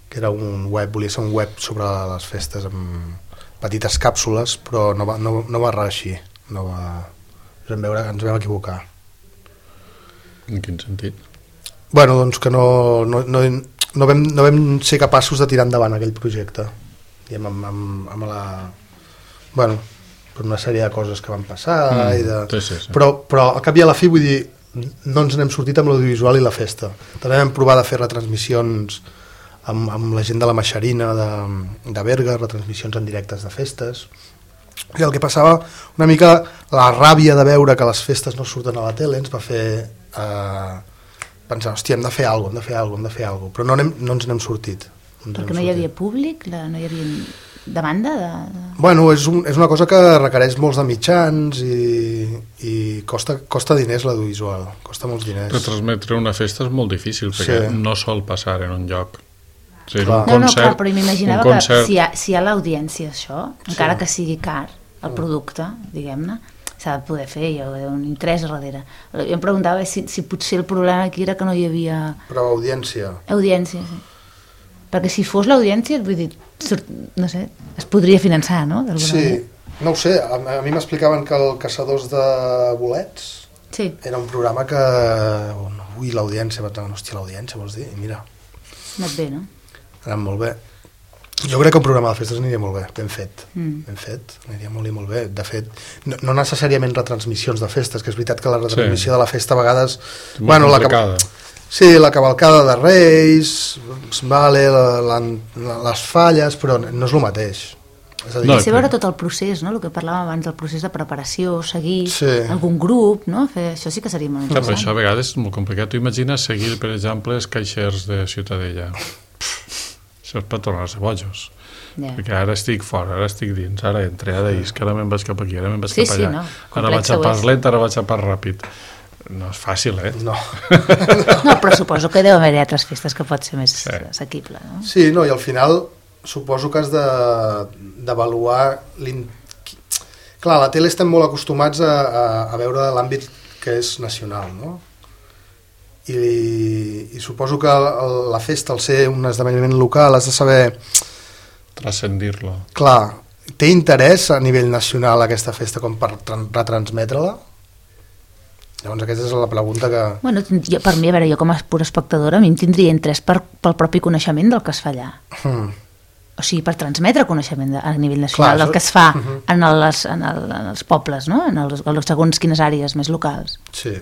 Speaker 3: que era un web, volia ser un web sobre les festes amb petites càpsules, però no va reeixir, ens vam equivocar.
Speaker 2: En quin sentit?
Speaker 3: Bueno, doncs que no vam ser capaços de tirar endavant aquell projecte, amb la... Bueno, per una sèrie de coses que van passar
Speaker 2: sí.
Speaker 3: Però al cap i a la fi, vull dir, no ens n'hem sortit amb l'audiovisual i la festa. També vam provar de fer retransmissions amb la gent de la Maxarina de Berga, retransmissions en directes de festes, i el que passava una mica, la ràbia de veure que les festes no surten a la tele ens va fer pensar, hòstia, hem de fer alguna cosa, però no ens n'hem sortit.
Speaker 4: Perquè no hi havia públic, no hi havia demanda?
Speaker 3: Bueno, és una cosa que requereix molts de mitjans i costa diners l'audiovisual, costa molts diners.
Speaker 2: Retransmetre una festa és molt difícil, perquè no sol passar en un lloc. O sigui,
Speaker 4: clar, però m'imaginava que si hi ha l'audiència això, encara que sigui car, el producte, diguem-ne, s'ha de poder fer, hi ha un interès a darrere. Jo em preguntava si potser el problema aquí era que no hi havia...
Speaker 3: Però audiència.
Speaker 4: Audiència, sí. Perquè si fos l'audiència, vull dir, no sé, es podria finançar, no?
Speaker 3: Sí, no ho sé, a mi m'explicaven que el Caçadors de Bolets era un programa que... Ui, l'audiència, vaig dir, hòstia, l'audiència, vols dir? I mira.
Speaker 4: Ha anat bé, no?
Speaker 3: Ha anat molt bé. Jo crec que un programa de festes aniria molt bé, ben fet, aniria molt bé. De fet, no necessàriament retransmissions de festes, que és veritat que la retransmissió de la festa a vegades...
Speaker 2: Molt complicada.
Speaker 3: Sí, la cavalcada de Reis, vale, les falles, però no és el mateix.
Speaker 4: És a dir, veure tot el procés, no? El que parlàvem abans, el procés de preparació, seguir algun grup, no? Això sí que seria molt interessant.
Speaker 2: Però això a vegades és molt complicat. Tu imagines seguir, per exemple, els caixers de Ciutadella. Això és per tornar-se bojos. Perquè ara estic fora, ara estic dins, ara entre, ara isc, ara me'n vaig cap aquí, ara me'n vaig cap allà. Ara vaig a pas lent, ara vaig a pas ràpid. No és fàcil,
Speaker 3: No.
Speaker 4: No, però suposo que deu haver altres festes que pot ser més assequible, no?
Speaker 3: Sí, no, i al final suposo que has d'avaluar... Clar, a la tele estem molt acostumats a veure l'àmbit que és nacional, no? I suposo que la festa, al ser un esdeveniment local, has de saber...
Speaker 2: Transcendir-lo.
Speaker 3: Clar, té interès a nivell nacional aquesta festa com per retransmetre-la? Llavors aquesta és la pregunta que...
Speaker 4: Bueno, per mi, a veure, jo com a pura espectadora, a mi em tindria interès pel propi coneixement del que es fa allà. O sigui, per transmetre coneixement a nivell nacional del que es fa en els pobles, no? En els segons quines àrees més locals.
Speaker 3: Sí,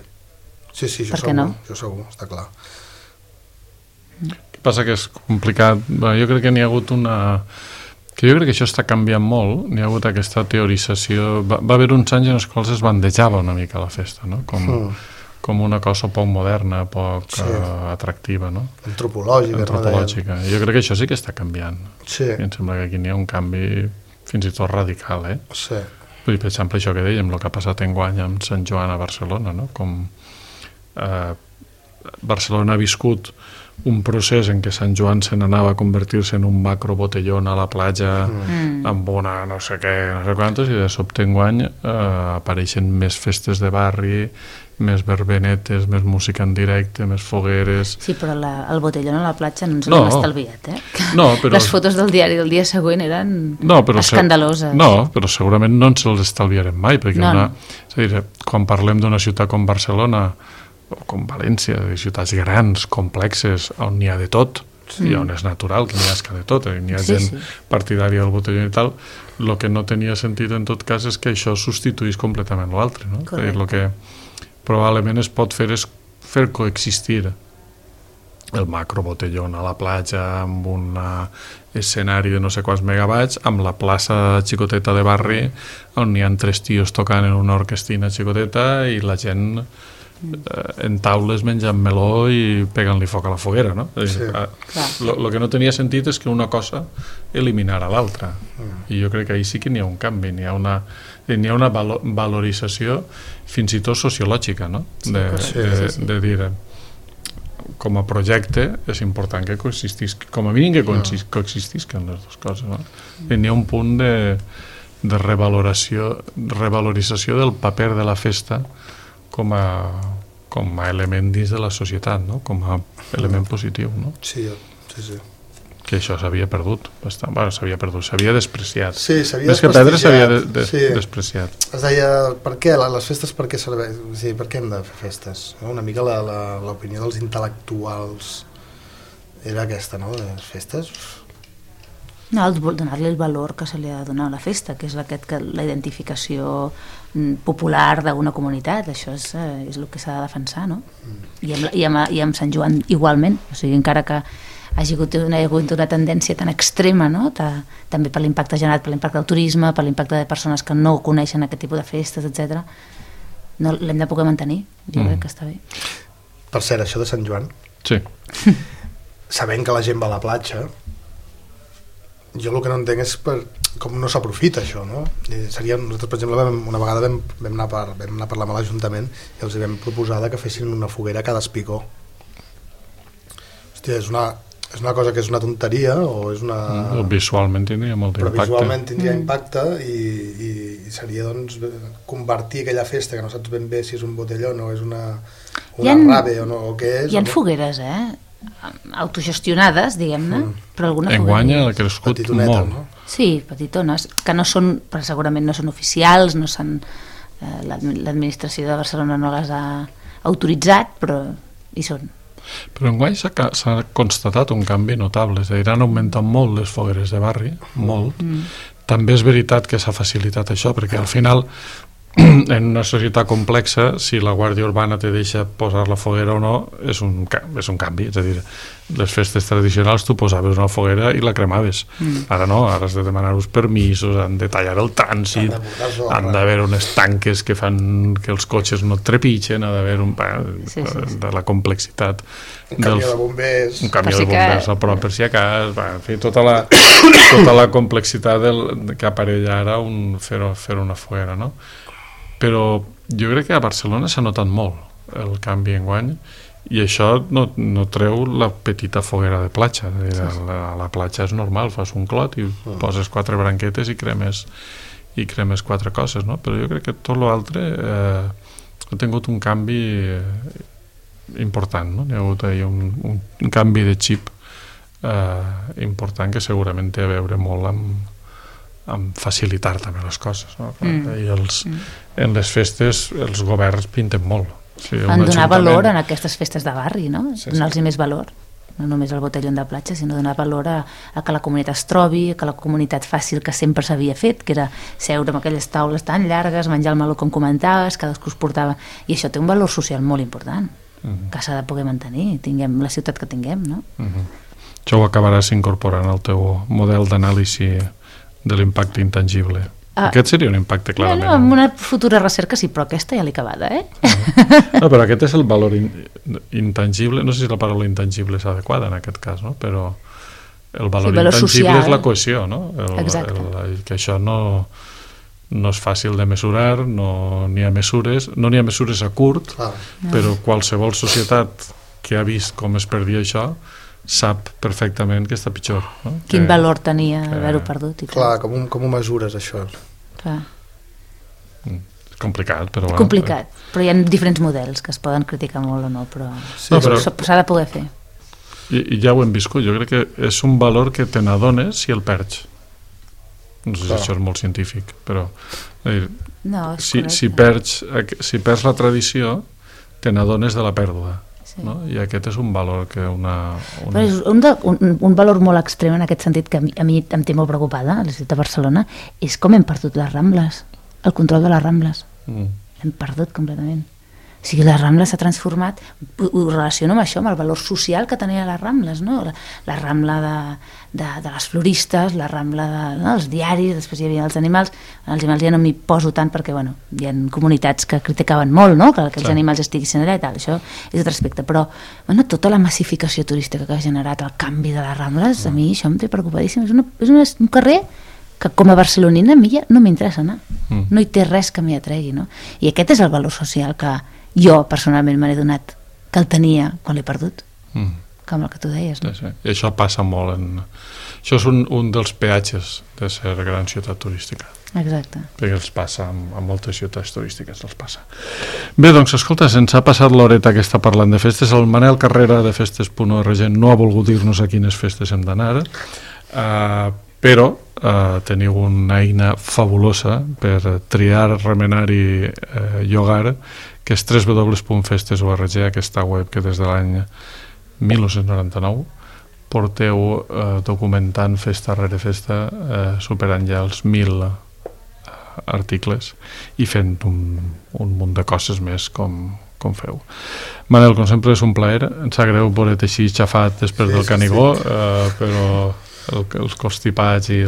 Speaker 3: això segur, està clar.
Speaker 2: El que passa que és complicat. Jo crec que n'hi ha hagut una... Jo crec que això està canviant molt, n'hi ha hagut aquesta teorització. Va haver uns anys en els quals es bandejava una mica la festa, no? com una cosa poc moderna, poc atractiva, no?
Speaker 3: Antropològica.
Speaker 2: Jo crec que això sí que està canviant.
Speaker 3: Sí.
Speaker 2: I em sembla que aquí n'hi ha un canvi fins i tot radical,
Speaker 3: Sí.
Speaker 2: Per exemple, això que dèiem, el que ha passat enguany amb Sant Joan a Barcelona, no? Com Barcelona ha viscut un procés en què Sant Joan se n'anava a convertir-se en un macro botellón a la platja amb una no sé què, no sé quantos, i de sobte enguany apareixen més festes de barri, més verbenetes, més música en directe, més fogueres...
Speaker 4: Sí, però el botellón a la platja no ens l'hem estalviat,
Speaker 2: No, però...
Speaker 4: Les fotos del diari del dia següent eren escandaloses.
Speaker 2: No, però segurament no ens les estalviarem mai, perquè és a dir, quan parlem d'una ciutat com Barcelona o com València, de ciutats grans, complexes, on n'hi ha de tot, i on és natural que n'hi hagi de tot, n'hi ha gent partidària del botellón i tal, el que no tenia sentit en tot cas és que això substituís completament l'altre, no? El que probablement es pot fer és fer coexistir el macro botellón a la platja amb un escenari de no sé quants megawatts, amb la plaça xicoteta de barri on n'hi ha 3 tios tocant en una orquestina xicoteta i la gent en taules menjant meló i pegant-li foc a la foguera, no? El que no tenia sentit és que una cosa eliminara l'altra, i jo crec que ahir sí que n'hi ha un canvi, n'hi ha una valorització fins i tot sociològica, no? De dir, com a projecte és important que coexistisc, com a mínim que coexistisquen les dues coses, no? N'hi ha un punt de revalorització del paper de la festa com a element dins de la societat, no? Com a element positiu, no?
Speaker 3: Sí.
Speaker 2: Que això s'havia perdut bastant. Bueno, s'havia despreciat.
Speaker 3: Sí, s'havia
Speaker 2: més que perdre s'havia despreciat.
Speaker 3: Es deia, per què les festes, per què serveix? Sí, per què hem de fer festes? Una mica l'opinió dels intel·lectuals era aquesta, no? De les festes...
Speaker 4: No, donar-li el valor que se li ha de donar a la festa, que és la identificació popular d'una comunitat, això és el que s'ha de defensar, no? I amb Sant Joan igualment, o sigui, encara que hagi hagut una tendència tan extrema, no? També per l'impacte generat, per l'impacte del turisme, per l'impacte de persones que no coneixen aquest tipus de festes, etc. No, l'hem de poder mantenir, jo crec que està bé.
Speaker 3: Per cert, això de Sant Joan,
Speaker 2: sí.
Speaker 3: Sabent que la gent va a la platja, jo el que no entenc és com no s'aprofita això, no? Nosaltres, per exemple, una vegada vam anar a parlar amb l'Ajuntament i els vam proposar que fessin una foguera a cada espigó. Hòstia, és una cosa que és una tonteria o és una...
Speaker 2: Visualment tindria molt d'impacte.
Speaker 3: Però visualment tindria impacte i seria, doncs, convertir aquella festa que no saps ben bé si és un botellón o és una rave o què és.
Speaker 4: Hi ha fogueres, autogestionades, diguem-ne, però alguna foguera...
Speaker 2: Enguany ha crescut molt.
Speaker 3: No?
Speaker 4: Sí, petitones, que no són, però segurament no són oficials, no són, l'administració de Barcelona no les ha autoritzat, però hi són.
Speaker 2: Però enguany s'ha constatat un canvi notable, és a dir, han augmentat molt les fogueres de barri, molt. També és veritat que s'ha facilitat això, perquè al final en una societat complexa, si la Guàrdia Urbana te deixa posar la foguera o no, és un canvi, és a dir, les festes tradicionals tu posaves una foguera i la cremaves, ara no, ara has de demanar uns permisos, han de tallar el trànsit, han d'haver unes tanques que fan que els cotxes no et trepitgen, ha d'haver de la complexitat,
Speaker 3: un camió de bombers
Speaker 2: a prop per si a cas, en fi, tota la complexitat que aparella ara fer una foguera, no? Però jo crec que a Barcelona s'ha notat molt el canvi enguany i això no treu la petita foguera de platja. A la platja és normal, fas un clot i poses 4 branquetes i cremes 4 coses, no? Però jo crec que tot l'altre ha tingut un canvi important, no? Hi ha hagut un canvi de xip important que segurament té a veure molt amb facilitar també les coses, no? I en les festes els governs pinten molt.
Speaker 4: En donar valor en aquestes festes de barri, no? Donar-los més valor, no només el botellón de platja, sinó donar valor a que la comunitat es trobi, que la comunitat faci el que sempre s'havia fet, que era seure amb aquelles taules tan llargues, menjar el meló com comentaves, cadascú es portava, i això té un valor social molt important, que s'ha de poder mantenir, tinguem la ciutat que tinguem, no?
Speaker 2: Això ho acabaràs incorporant al teu model d'anàlisi de l'impacte intangible. Aquest seria un impacte clarament.
Speaker 4: No, amb una futura recerca sí, però aquesta ja l'he acabada,
Speaker 2: No, però aquest és el valor intangible, no sé si la paraula intangible és adequada en aquest cas, no? Però el valor intangible social. És la cohesió, no? Que això no és fàcil de mesurar, no n'hi ha mesures a curt, però qualsevol societat que ha vist com es perdia això sap perfectament que està pitjor. No?
Speaker 4: Quin valor tenia haver-ho perdut.
Speaker 3: Clar, com ho mesures, això?
Speaker 4: Clar.
Speaker 2: És complicat, però...
Speaker 4: Complicat, però hi ha diferents models que es poden criticar molt o no, però s'ha de poder fer.
Speaker 2: I ja ho hem viscut, jo crec que és un valor que te n'adones si el perds. No sé si això és molt científic, però si perds la tradició, te n'adones de la pèrdua. No? I aquest és un valor que
Speaker 4: és un valor molt extrem en aquest sentit que a mi em té molt preocupada a la ciutat de Barcelona, és com hem perdut les Rambles, el control de les Rambles. Hem perdut completament. O sigui, la Rambla s'ha transformat, ho relaciono amb això, amb el valor social que tenia les Rambles, no? La Rambla de les floristes, la Rambla dels diaris, després hi havia els animals ja no m'hi poso tant perquè, bueno, hi ha comunitats que criticaven molt, no?, que els animals estiguessin allà i tal, això és altre aspecte, però, bueno, tota la massificació turística que ha generat el canvi de les Rambles, a mi això em té preocupadíssim, és un carrer que com a barcelonina a mi ja no m'interessa anar, no hi té res que m'hi atregui, no? I aquest és el valor social que jo personalment me n'he donat, que el tenia quan l'he perdut, com el que tu deies, no?
Speaker 2: Sí. I això passa molt això és un dels peatges de ser gran ciutat turística.
Speaker 4: Exacte.
Speaker 2: Perquè els passa, a moltes ciutats turístiques els passa. Bé, doncs, escolta, se'ns ha passat l'horeta que està parlant de festes. El Manel Carrera de Festes.org no ha volgut dir-nos a quines festes hem d'anar, però teniu una eina fabulosa per triar, remenar i llogar, que és www.festes.org, aquesta web que des de l'any 1999 porteu documentant festa rere festa, superant ja els 1.000 articles i fent un munt de coses més com feu. Manel, com sempre és un plaer, em sap greu veure't així xafat després del Canigó, però els constipats i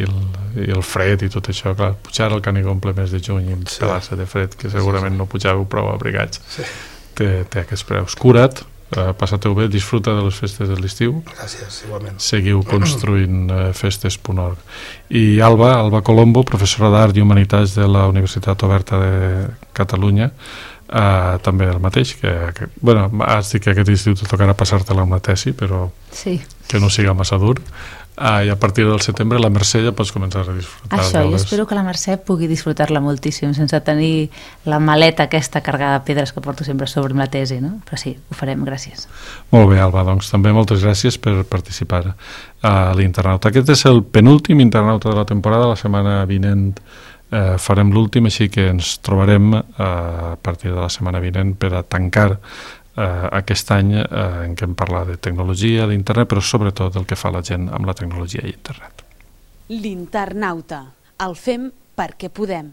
Speaker 2: el fred i tot això, clar, pujar al Canigó en ple mes de juny i pelar-se de fred, que segurament no pujàveu prou abrigats, té aquests preus. Cura't, passateu bé, disfruta de les festes de l'estiu.
Speaker 3: Gràcies, igualment.
Speaker 2: Seguiu construint festes.org. I Alba Colombo, professora d'Art i Humanitats de la Universitat Oberta de Catalunya, també el mateix, que bueno, has dit que aquest estiu te tocarà passar-te-la amb la tesi, però que no siga massa dur. I a partir del setembre la Mercè ja pots començar a disfrutar.
Speaker 4: Això, jo espero que la Mercè pugui disfrutar-la moltíssim sense tenir la maleta aquesta carregada de pedres que porto sempre sobre la tesi, no? Però sí, ho farem, gràcies.
Speaker 2: Molt bé, Alba, doncs també moltes gràcies per participar a l'Internauta. Aquest és el penúltim Internauta de la temporada. La setmana vinent farem l'últim, així que ens trobarem a partir de la setmana vinent per a tancar aquest any en què hem parlat de tecnologia, d'internet, però sobretot el que fa la gent amb la tecnologia i internet.
Speaker 1: L'Internauta. El fem perquè podem.